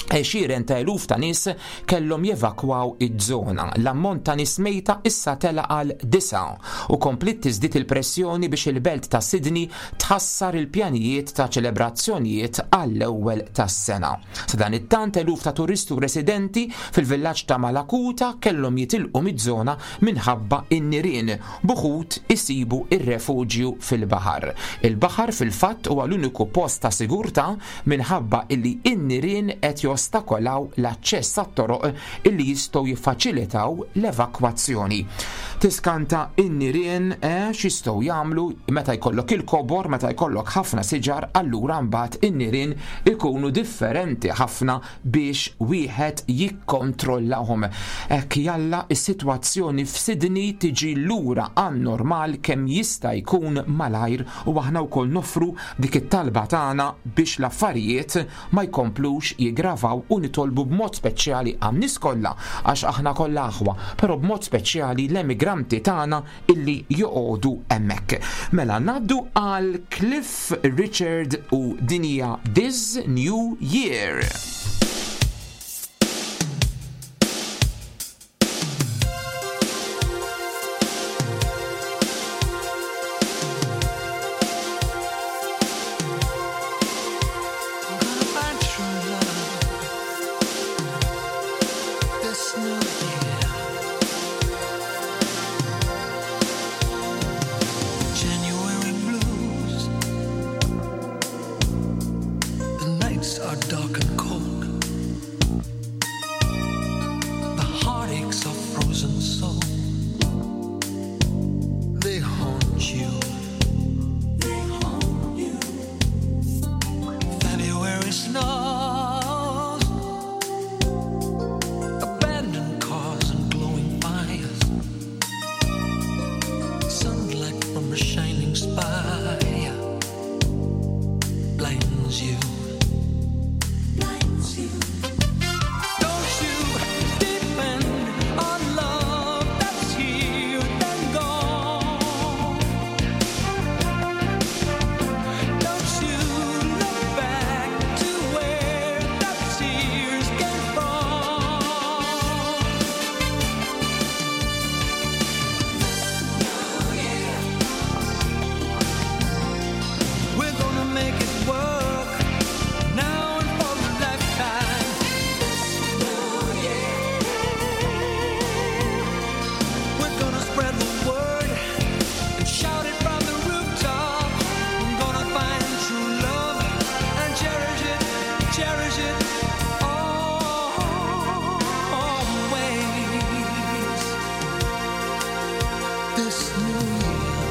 Għexieren ta' eluf ta' nies kellhom jevakwaw iż-żona. L-ammont ta' nies mejta issa tela għal disa u kompliet tiżdied il-pressjoni biex il-belt ta' Sydney tħassar il-pjanijiet ta' ċelebrazzjonijiet għall-ewwel tas-sena. Sadanittant eluf ta' turisti u residenti fil-villaġġ ta' Mallacoota kellhom jitilqu miż-żona minħabba in-nirien, b'uħud isibu ir-refuġju fil-baħar. Il-baħar fil-fatt huwa l-uniku post ta' sigurtà minħabba illi in-nirien qed jostakolaw l-aċċess għat-toroq illi jistgħu jiffaċilitaw l-evakwazzjoni. Tiskanta in-nirien eh, x'jistgħu jagħmlu meta jkollok il-kobor, meta jkollok ħafna siġar, allura mbagħad in-nirien ikunu differenti ħafna biex wieħed jikkontrollahom. Hekk jalla is-sitwazzjoni f'Sydney tiġi lura għan-normal kemm jista' jkun malajr, u aħna wkoll noffru dik it-talba tagħna biex l-affarijiet ma jkomplux jiggravaw, u nitolbu b'mod speċjali għan-nies kollha, għax aħna kollha aħwa, però b'mod speċjali l-emigranti tagħna illi joqogħdu hemmhekk. Mela ngħaddu għal Cliff Richard u din hija This New Year. Gonna find true love this new year. January blues. The nights are dark and cold. The heartaches are frozen so. They haunt you. They haunt you. February snows, abandoned cars and glowing fires, sunlight from a shining spire blinds you. Blinds you. Don't you depend on love that's here and gone. Don't you look back to where the tears came from? We're gonna make it work now and for a lifetime. We're gonna spread the word and shout it from the rooftop. I'm gonna find true love and cherish it, cherish it always. This new year,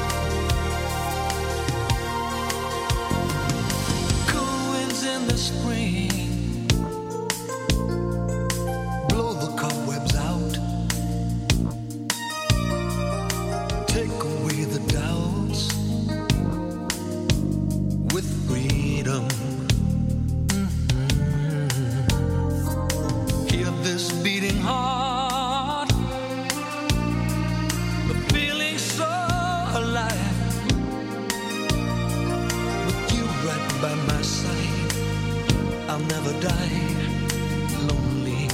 cool winds in the spring, blow the cobwebs out. Take away the doubts with freedom. Mhm. Hear this beating heart, the feeling so alive. With you right by my side, I'll never die lonely.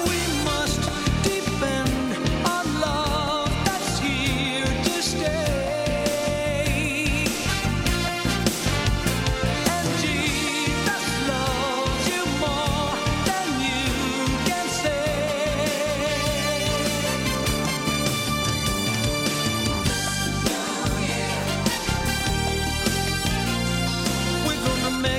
We must depend on love that's here to stay. And Jesus loves you more than you can say. We're gonna make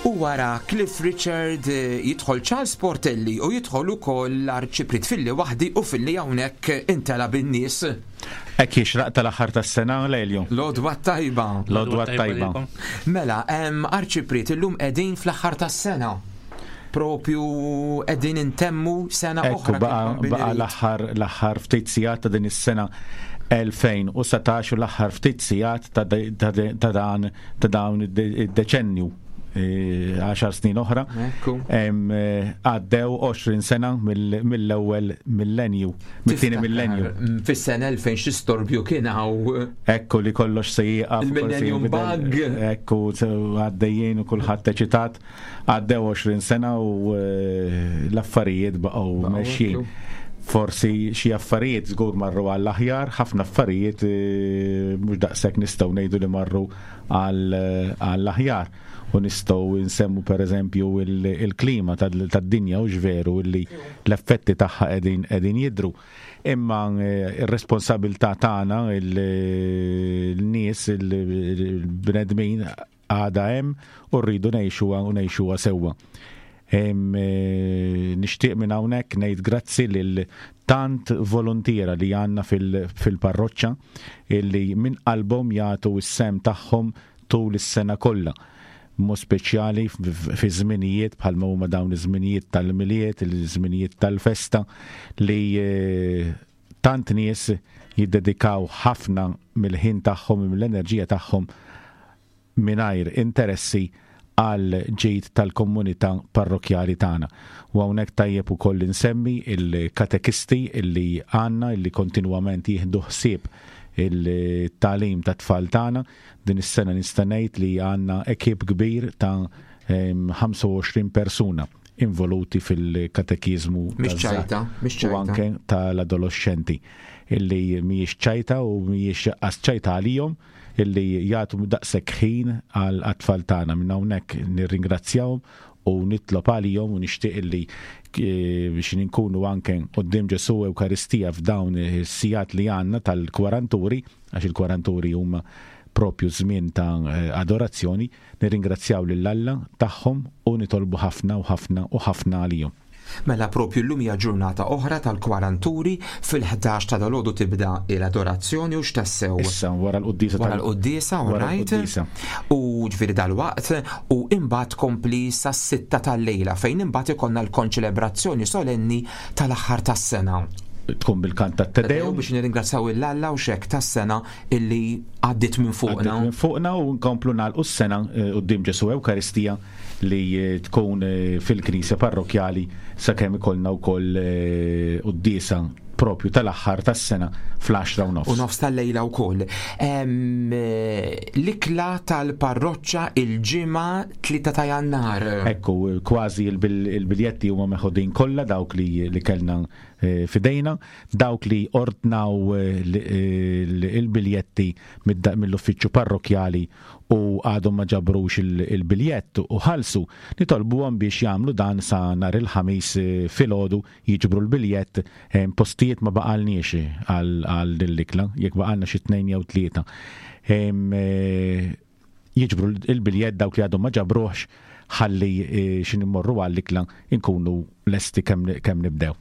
U wara Cliff Richard eh, jidħol Charles Portelli u jidħol ukoll l-Arċipriet Filli waħdi u Filli hawnhekk intela bin-nies. Hekk jixraq tal-aħħar tas-sena, Lelju. L-għodwa t-tajba. L-għodwa t-tajba. Mela, em, Arċipriet, illum qegħdin fl-aħħar tas-sena. Propju qegħdin intemmu sena Ekku oħra. baqa kif baqa l-aħħar l-aħħar ftit sigħat ta' din is-sena elfejn u satax u l-aħħar ftit sigħat ta' ta' ta' dan ta' dawn id-deċennju, eh, għaxar snin oħra. Ekku. Em, eh, Għaddew għoxrin sena mill- mill-ewwel millenju, mit-tieni millenju. Mm, Fis-sena elfejn xi storbju kien hawn. Ekku li kollox se jieqaf. Il-Millennium kollox se jinbidel. Bug. Ekku, se għaddejjien u kulħadd eċitat. Għaddew għoxrin sena u eh, l-affarijiet baqgħu Baqgħu, mexjin. ekku. Forsi xi affarijiet żgur marru għall-aħjar, ħafna affarijiet eh, mhux daqshekk nistgħu ngħidu li marru għall- għall-aħjar. U nistgħu nsemmu pereżempju il- il-klima tad- tad-dinja u veru li l-effetti tagħha qegħdin qegħdin jidru. Imma eh, ir-responsabilità tagħna, il-nies, il-bnedmin, għada hemm u rridu ngħixuha u ngħixuha sewwa. Em, eh, Nixtieq minn hawnhekk ngħid grazzi lil tant volontiera li għandna fil- fil-parroċċa illi minn qalbhom jagħtu s-sehem tagħhom tul is-sena kollha. Mod speċjali f- fi żminijiet bħalma huma dawn iż-żminijiet tal-Milied, il-żminijiet tal-festa, li eh, tant nies jiddedikaw ħafna mill-ħin tagħhom, mill-enerġija tagħhom, mingħajr interessi, għal ġid tal-komunità parrokjali tagħna. U hawnhekk tajjeb ukoll insemmi il-katekisti illi għandna, illi kontinwament jieħdu ħsieb il-tagħlim ta' tfal tagħna. Din is-sena nista' ngħid li għandna ekip kbir ta' em, ħamsa u għoxrin persuna involuti fil-katekizmu Mhix taż-żgħar ċajta, mhix u ċajta. anke tal-adolescenti, illi mhijiex ċajta u mhijiex qas ċajta għalihom illi jagħtu daqshekk ħin għal tfal tagħna. Minn hawnhekk nirringrazzjahom u nitlob għalihom u nixtieq illi eh, biex nkunu anke quddiem Ġesu Ewkaristija f'dawn is-sigħat li għandna tal-kwaranturi, għax il-kwaranturi huma propju żmien ta' eh, adorazzjoni, nirringrazzjaw lil Alla tagħhom u nitolbu ħafna u ħafna u ħafna għalihom. Mela propju llum hija ġurnata oħra tal-kwaranturi, fil-ħdax ta' dalgħodu tibda l-adorazzjoni u x'tassew. Issa wara l-quddiesa. Wara tal- l-quddiesa, wara right? l-quddiesa. U ġifieri dal-waqt u imbagħad kompli sas-sitta tal-lejla, fejn imbagħad ikollna l-konċelebrazzjoni solenni tal-aħħar tas-sena. Tkun bil-kant tat-Te Deum. Biex nirringrazzjaw 'l Alla u xek tas-sena illi għaddit minn fuqna. Għaddit minn fuqna u nkomplu nagħlqu s-sena eh, quddiem Ġesu Ewkaristija li eh, tkun eh, fil-Knisja Parrokjali, sakemm ikollna wkoll eh, quddiesa propju tal-aħħar tas-sena fl-għaxra u nofs. U nofs tal-lejla u koll. L-ikla tal-parroċċa il-Ġimgħa tlieta ta' Jannar. Ekku, kważi il-bil- il-biljetti huma meħudin kollha dawk li, li kellna eh, fidejna, dawk li ordnaw eh, l- eh, il-biljetti mid- mill-uffiċċju parrokjali u għadhom ma ġabrux il- il-biljett u ħalsu, nitolbuhom biex jagħmlu dan sa nhar il-Ħamis eh, filgħodu jiġbru l-biljett. eh, Postijiet ma baqalniex għal għal din l-ikla, jekk baqalna xi tnejn jew tlieta. Em, eh, Jiġbru il-biljett dawk li għadhom ma ġabruħx, ħalli eh, xin immorru għall-ikla inkunu lesti kemm kemm nibdew.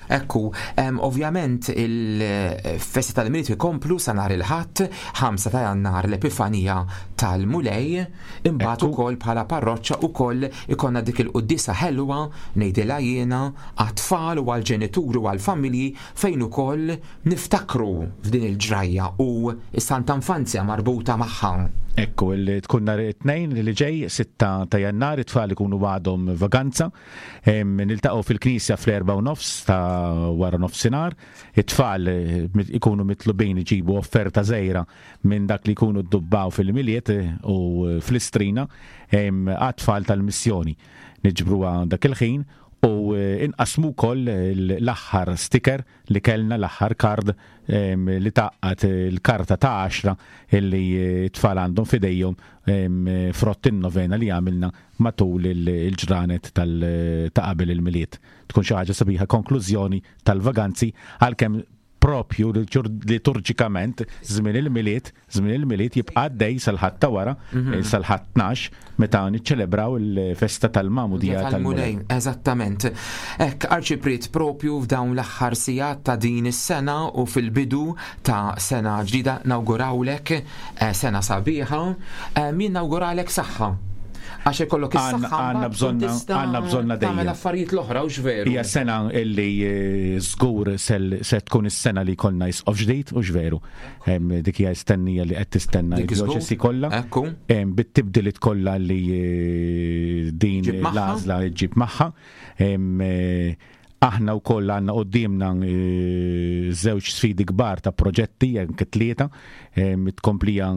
Ekku, em, ovvjament il-festi tal-Milied ikomplu sa nhar il-Ħadd, ħamsa ta' Jannar, l-Epifanija tal-Mulej, imbagħad Ekku. ukoll bħala parroċċa ukoll ikonna dik il-quddiesa ħelwa, ngħidilha jiena, għat-tfal u għall-ġenituri u għall-familji, fejn ukoll niftakru f'din il-ġrajja u s-Santa Infanzja marbuta magħha. Ekku, il- tkun nhar it-Tnejn li ġej, sitta ta' Jannar, it-tfal ikunu għadhom vaganza. Em, Niltaqgħu fil-knisja fl-erba u nofs ta' wara nofsinhar. It-tfal eh, mit- ikunu mitlubin iġibu offerta żgħira minn dak li jkunu ddubbaw fil-Milied eh, u eh, fl-Istrina em, għat-tfal tal-missjoni. Niġbruha dak il-ħin u eh, inqasmu wkoll l-aħħar sticker li kellna, l-aħħar kard em, li taqqat il-karta ta' għaxra illi eh, t-tfal għandhom fidejhom em, frott in-novena li għamilna matul il- il-ġranet tal- ta' qabel il-Milied. Tkun xi ħaġa sabiħa, konklużjoni tal-vaganzi, għalkemm Propju liturġikament żmien il-Milied, żmien il-Milied jibqa' għaddej sal-Ħadd ta' wara, Mhm. sal-Ħadd tnax, meta niċċelebraw il-festa tal-Magħmudija tal-Mulej. Eżattament. Hekk, Arċipriet, propju f'dawn l-aħħar sigħat ta' din is-sena u fil-bidu ta' sena ġdida nawgurawlek eh, sena sabiħa, eh, min nawguralek saħħa. Għax ikollok is-saħħa Għandna bżonna għandna bżonna dejjem. Tagħmel affarijiet l-oħra u x'veru. Hija sena illi eh, żgur se tkun is-sena li jkollna isqof ġdid u x'veru. Dik hija stennija li qed tistenna d-djoċesi kollha. Ekku. Bit-tibdiliet kollha li eh, din l-għażla ġġib magħha. Eh, aħna wkoll għandna qudiemna żewġ sfidi kbar ta' proġetti, anke tlieta, it-tkomplija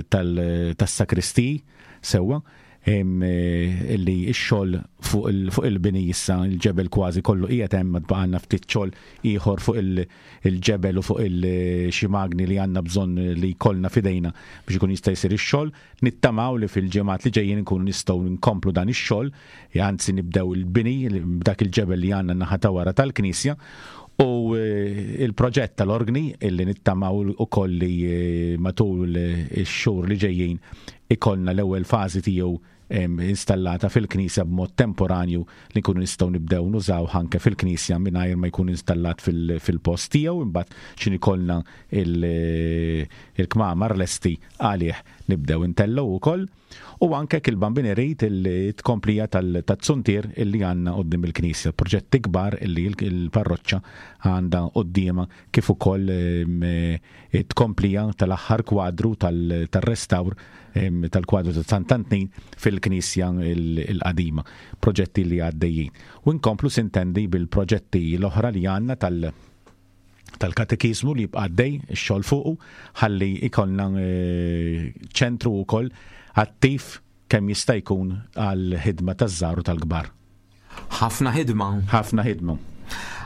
tas-sakristiji sewwa, illi x-xogħol fuq il-bini issa il-ġebel kważi kollu qiegħed hemm, baqgħalna ftit xogħol ieħor fuq il-ġebel u fuq il-xi magni li għandna bżonn li jkollna f'idejna biex ikun jista' jsir ix-xogħol. Nittamaw li fil-ġimgħat li ġejjin nkunu nistgħu nkomplu dan ix-xogħol, anzi nibdew il-bini b'dak il-ġebel li għandna naħa ta' wara tal-knisja. U il-proġett tal-organi illi nittamaw ukoll li matul ix-xhur li ġejjin ikollna l-ewwel fażi tiegħu installata fil-knisja b'mod temporanju li nkunu nistgħu nibdew nużaw anke fil-knisja mingħajr ma jkun installat fil-post tiegħu, imbagħad x'in ikollna il-kmamar lesti għalih nibdew intellgħu wkoll. U anke il-Bambin irid il-tkomplija tat-tsuntier illi għandna quddiem il-knisja, proġetti kbar illi il-parroċċa għandha quddiemha, kif ukoll it-tkomplija tal-aħħar kwadru tal-restawr tal-kwadru ta' Sant'Antnin fil-knisja il-qadima, proġetti li għaddejjin. U nkomplu sintendi bil-proġetti l-oħra li għandna tal- tal-katekizmu li jibqa' għaddej ix-xogħol fuqu, ħalli ikollna ċentru wkoll attiv kemm jista' jkun għal ħidma taż-żgħar u tal-kbar. Ħafna ħidma. Ħafna ħidma.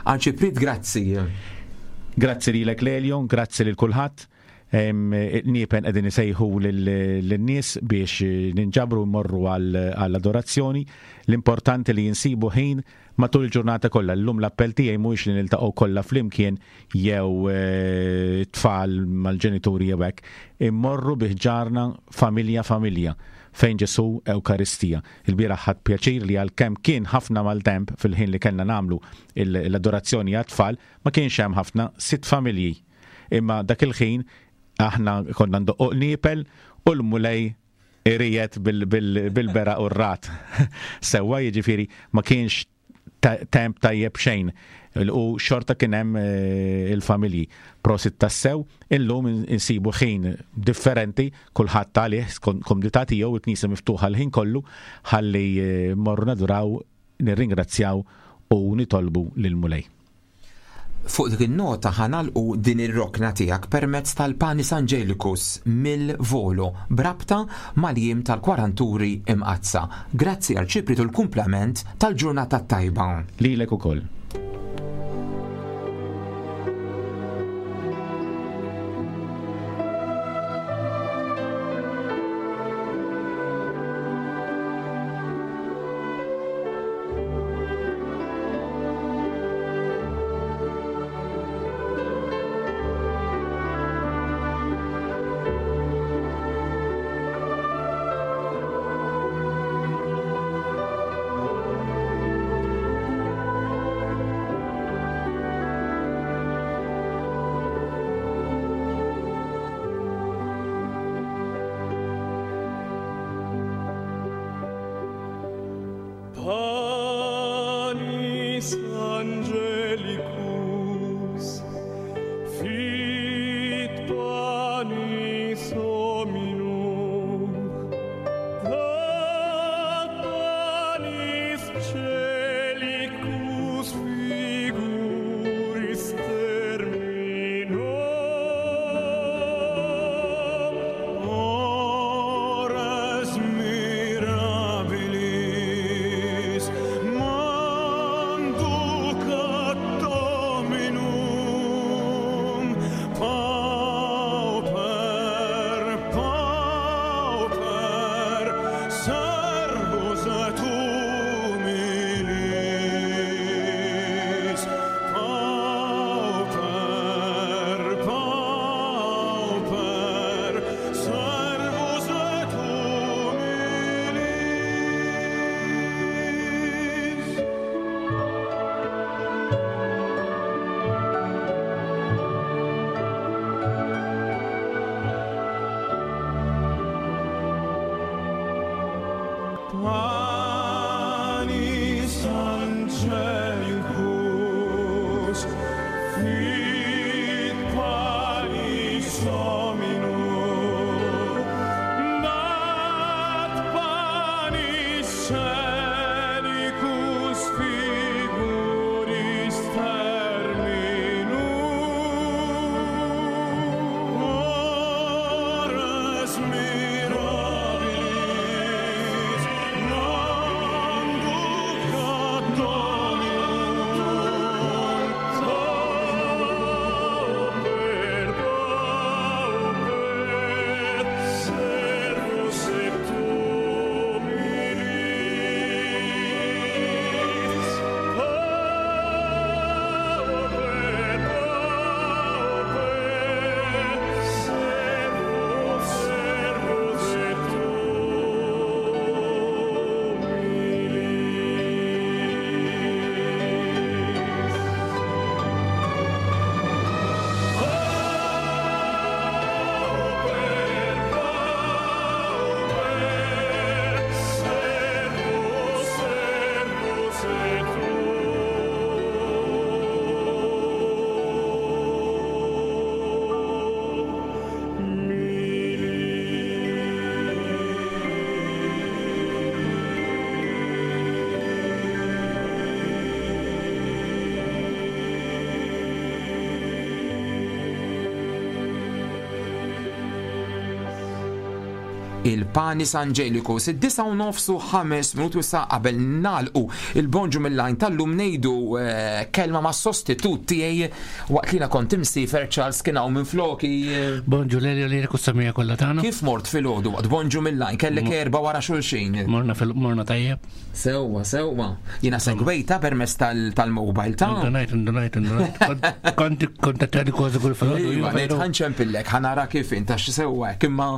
Arċipriet, grazzi. Grazzi lilek Lelio, grazzi lil kulħadd. Niepen qegħdin isejħu lin-nies biex ninġabru mmorru għall-adorazzjoni. L-importanti li jinsibu ħin matul il-ġurnata kollha. Llum l-appell tiegħi mhuwiex li niltaqgħu kollha flimkien jew tfal mal-ġenituri jew hekk. Immorru bi ħġarna familja familja fejn Ġesù Ewkaristija. Il-bieraħ ħadd pjaċir li għalkemm kien ħafna maltemp fil-ħin li kellna nagħmlu l-adorazzjoni għat-tfal, ma kienx hemm ħafna, sitt familji. Imma dak il-ħin aħna konna ndoqqu qniepel u l-Mulej irijet bil-beraq u r-rat. Sewwa, jiġifieri ma kienx temp tajjeb xejn u xorta kien hemm il-familji. Prosit tassew, illum insibu ħin differenti, kulħadd għalih komdità tiegħu, il-knisja miftuħa l-ħin kollu, ħalli morru naduraw, nirringrazzjaw u nitolbu lill-Mulej. Fuq dik in-nota ħanalqu din ir-rokna tiegħek permezz tal-Panis Angelicus mill-Volo brabta mal-jiem tal-Kwaranturi Imqaddsa. Grazzi Arċipriet u l-kumplament tal-ġurnata tajba. Lilek ukoll. Thank Panis angelicus, fit panis Dominum, dat panis scenicus figuris terminum. Ores mirabilis, non ducat Dominum, pauper, pauper, servus et humilis. Pauper, pauper, servus, servus et humilis. Pauper, pauper, servus, servus et Il-Panis Angelicus, id-disa u nofs u ħames minuti sa qabel nalqu il-bonġu mill-lajn tal-lum nejdu eh, kelma ma' sostitut tiegħi waqt li jiena kont imsifer Charles kien hawn minn floki. eh, Bonġu Lelio li samija kollha tagħna. Kif mort fil-ħodu waqt bonġu mill-lajn kellek erba wara xulxin. Morna fil morna tajjeb. Sewwa, sewwa. Jiena segwejta permezz tal- tal-mobile ta' Indunajt, indunajt, indunajt. Kont- Kont kontattjani kważi kull filgħodu. Iva, iva, ngħid veru. ħanċempillek, ħanara kif inta x'sewwa hekk, imma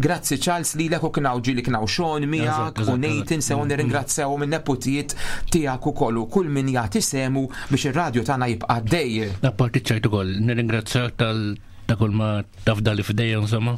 grazzi Charles lilek u kien hawn ġieli kien hawn Sean miegħek Eżatt, u eżatt, Nathan sew nirringrazzjaw minn neputijiet tiegħek ukoll u kull min jagħti semu biex ir-radju tagħna jibqa' għaddej. Apparti ċajt ukoll, nirringrazzjak tal ta' kull ma tafdali f'idejja insomma.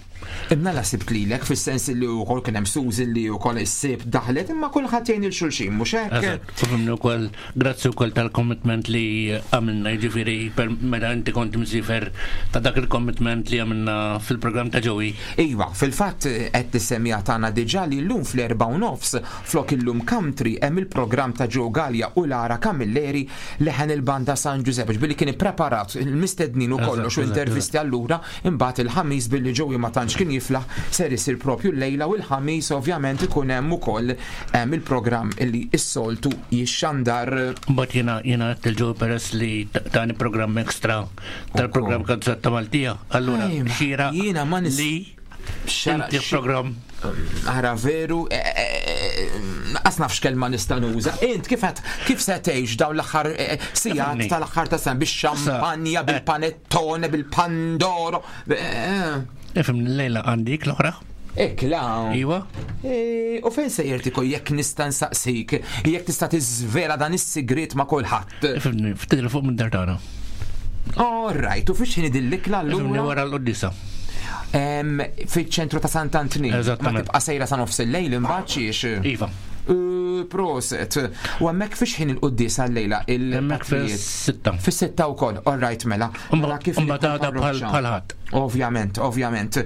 Imma la sibt lilek fis-sens li wkoll kien hemm Suzy li wkoll is-sib daħlet imma kulħadd jgħin il xulxin mhux hekk? Eżatt, u fimni wkoll grazzi wkoll tal-commitment li għamilna, jiġifieri per meta inti kont msifer ta' dak il-commitment li għamilna fil-programm ta' Joey. Iva, fil-fatt qed tissemmiha tagħna diġà li llum fl-erba' u nofs flok illum country hemm il-programm ta' Joe Gallia u Lara Camilleri leħen il-banda San Giuseppe billi kien ippreparat il-mistednin u Eżatt, kollox u eżatt, intervisti allura imbagħad il-ħamis billi Joey ma tantx kien jiflaħ ser isir propju l-lejla u l-ħamis ovvjament ikun hemm ukoll hemm il-programm illi s-soltu jixxandar. Mbagħad jiena jiena għedt il-Joey peress li ta- tani programm ekstra tal-programm Kanzetta Maltija. Allura Ejma, xira jiena ma nis- li Xara- inti programm Ara veru, eh, eh, eh, nafx kelma nista' nuża. Int kif qed kif se tgħix dawn l-aħħar eh, sigħat Ifhimni. tal-aħħar ta' sena bix-xampanja, bil-panettone, bil-pandoro. Eh, Ifhimni l-lejla għandik l-oħra. Ikla. Iva. Eh, U fejn se jirtiko jekk nista' nsaqsik, jekk tista' tiżvela dan is-sigriet ma' kulħadd. Ifhimni, ftit fuq minn dar tagħna. All right, u fiex ħin idil-ikla Ifhimni allura? wara l-qoddisa. Em, Fiċ-ċentru ta' Sant'Antnin. Ma Eżattament. tibqa' sejra sa nofs il-lejl imbagħad xiex. Iva. Uh, Proset. U hemmhekk fiex ħin il-quddies għal-lejla Hemmhekk il-patrijiet? fis-sitta. Fis-sitta wkoll, all right mela. Mela kif Mbagħad għada bħal parroċċa. bħal ħadd. Ovvjament, ovvjament.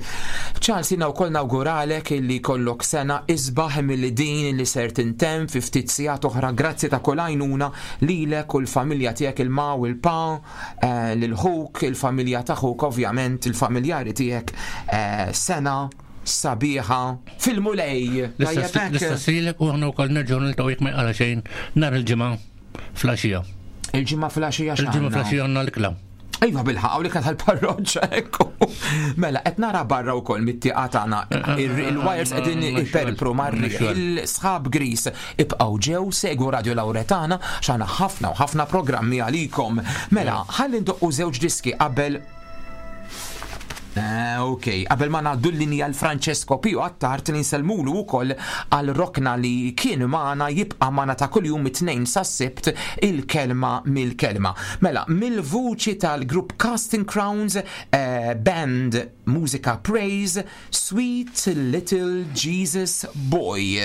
Charles, jina wkoll nawguralek illi kollok sena isbaħ milli din li ser tintemm fi ftit sigħat oħra grazzi ta' kull għajnuna lilek u l-familja tiegħek il-ma u l-pa, eh, lil-ħuk, il-familja ta' ħuk, ovvjament, il-familjari tiegħek eh, sena sabiħa fil-mulej. Tajjeb hekk? L-istess lilek u aħna wkoll nerġgħu niltaqgħu jekk ma jqala xejn nhar il-ġimgħa flaxija. Il-ġimgħa flaxija Il-ġimgħa x'għandna? flaxija għandna l-ikla. Iva bilħaq, li kien tal-parroċċa ekku. Mela, qed nara barra wkoll mit-tieqa tagħna il-wires qegħdin iperpru marri il-sħab gris ibqgħu ġew segwu Radio Lauretana x'għandna ħafna u ħafna programmi għalikom. Mela, ħalli ndoqqu żewġ diski qabel Eh, ok, qabel ma ngħaddu l-linja l-Francesco Pio Attard li nsellmulu wkoll għal rokna li kien magħna jibqa' magħna ta' kuljum it-tnejn sas-sibt il-kelma mill-kelma. Mela, mill-vuċi tal-grupp Casting Crowns eh, Band Musica Praise Sweet Little Jesus Boy.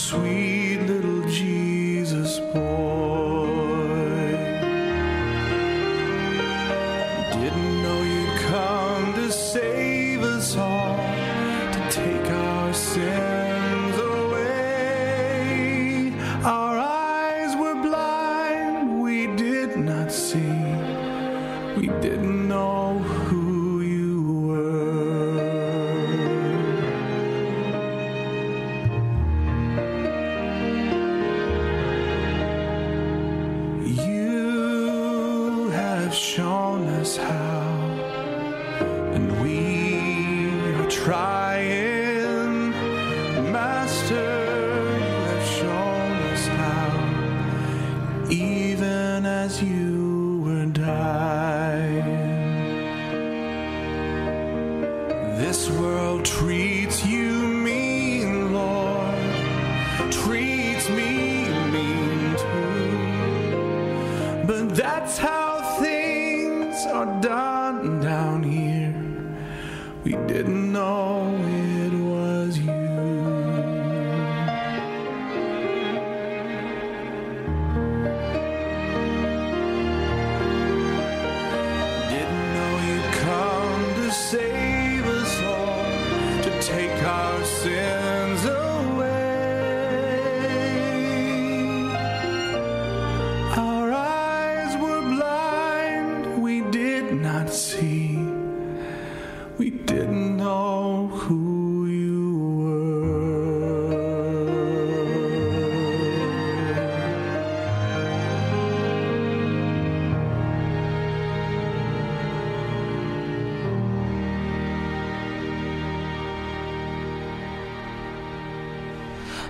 Sweet little Jesus boy. Didn't know you'd come to save us all, to take our sins away. Our eyes were blind, we did not see, we didn't know who you were. You have shown us how, and we are trying. Master, you have shown us how, even as you were dying. This world treats you mean, Lord, treats me mean too. But that's how things are done down here. We didn't know it was you. Didn't know you'd come to save us all, to take our sins away. Our eyes were blind, we did not see. We didn't know who you were.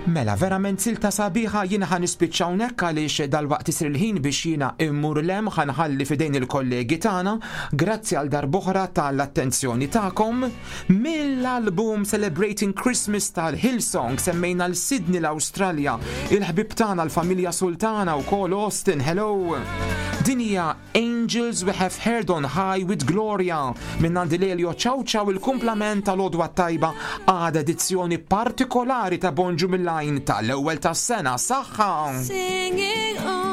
Mela, verament silta sabiħa jiena ħa nispiċċa hawnhekk għaliex dalwaqt isir il-ħin biex jiena immur lem ħa nħalli f'idejn il-kollegi tagħna. Grazzi għal darb'oħra tal-attenzjoni tagħkom. Mill-album Celebrating Christmas tal-Hillsong semmejna l-Sydney l-Awstralja, il-ħbib tagħna l-familja Sultana u kol Austin, hello. Din hija Angels We Have Heard on High with Gloria minn għandi Lelio, ciao ciao, il-kumplament tal-għodwa tajba għad edizzjoni partikolari ta' Bonġu mill-lajn tal-ewwel tas-sena. Saħħa! Singing on.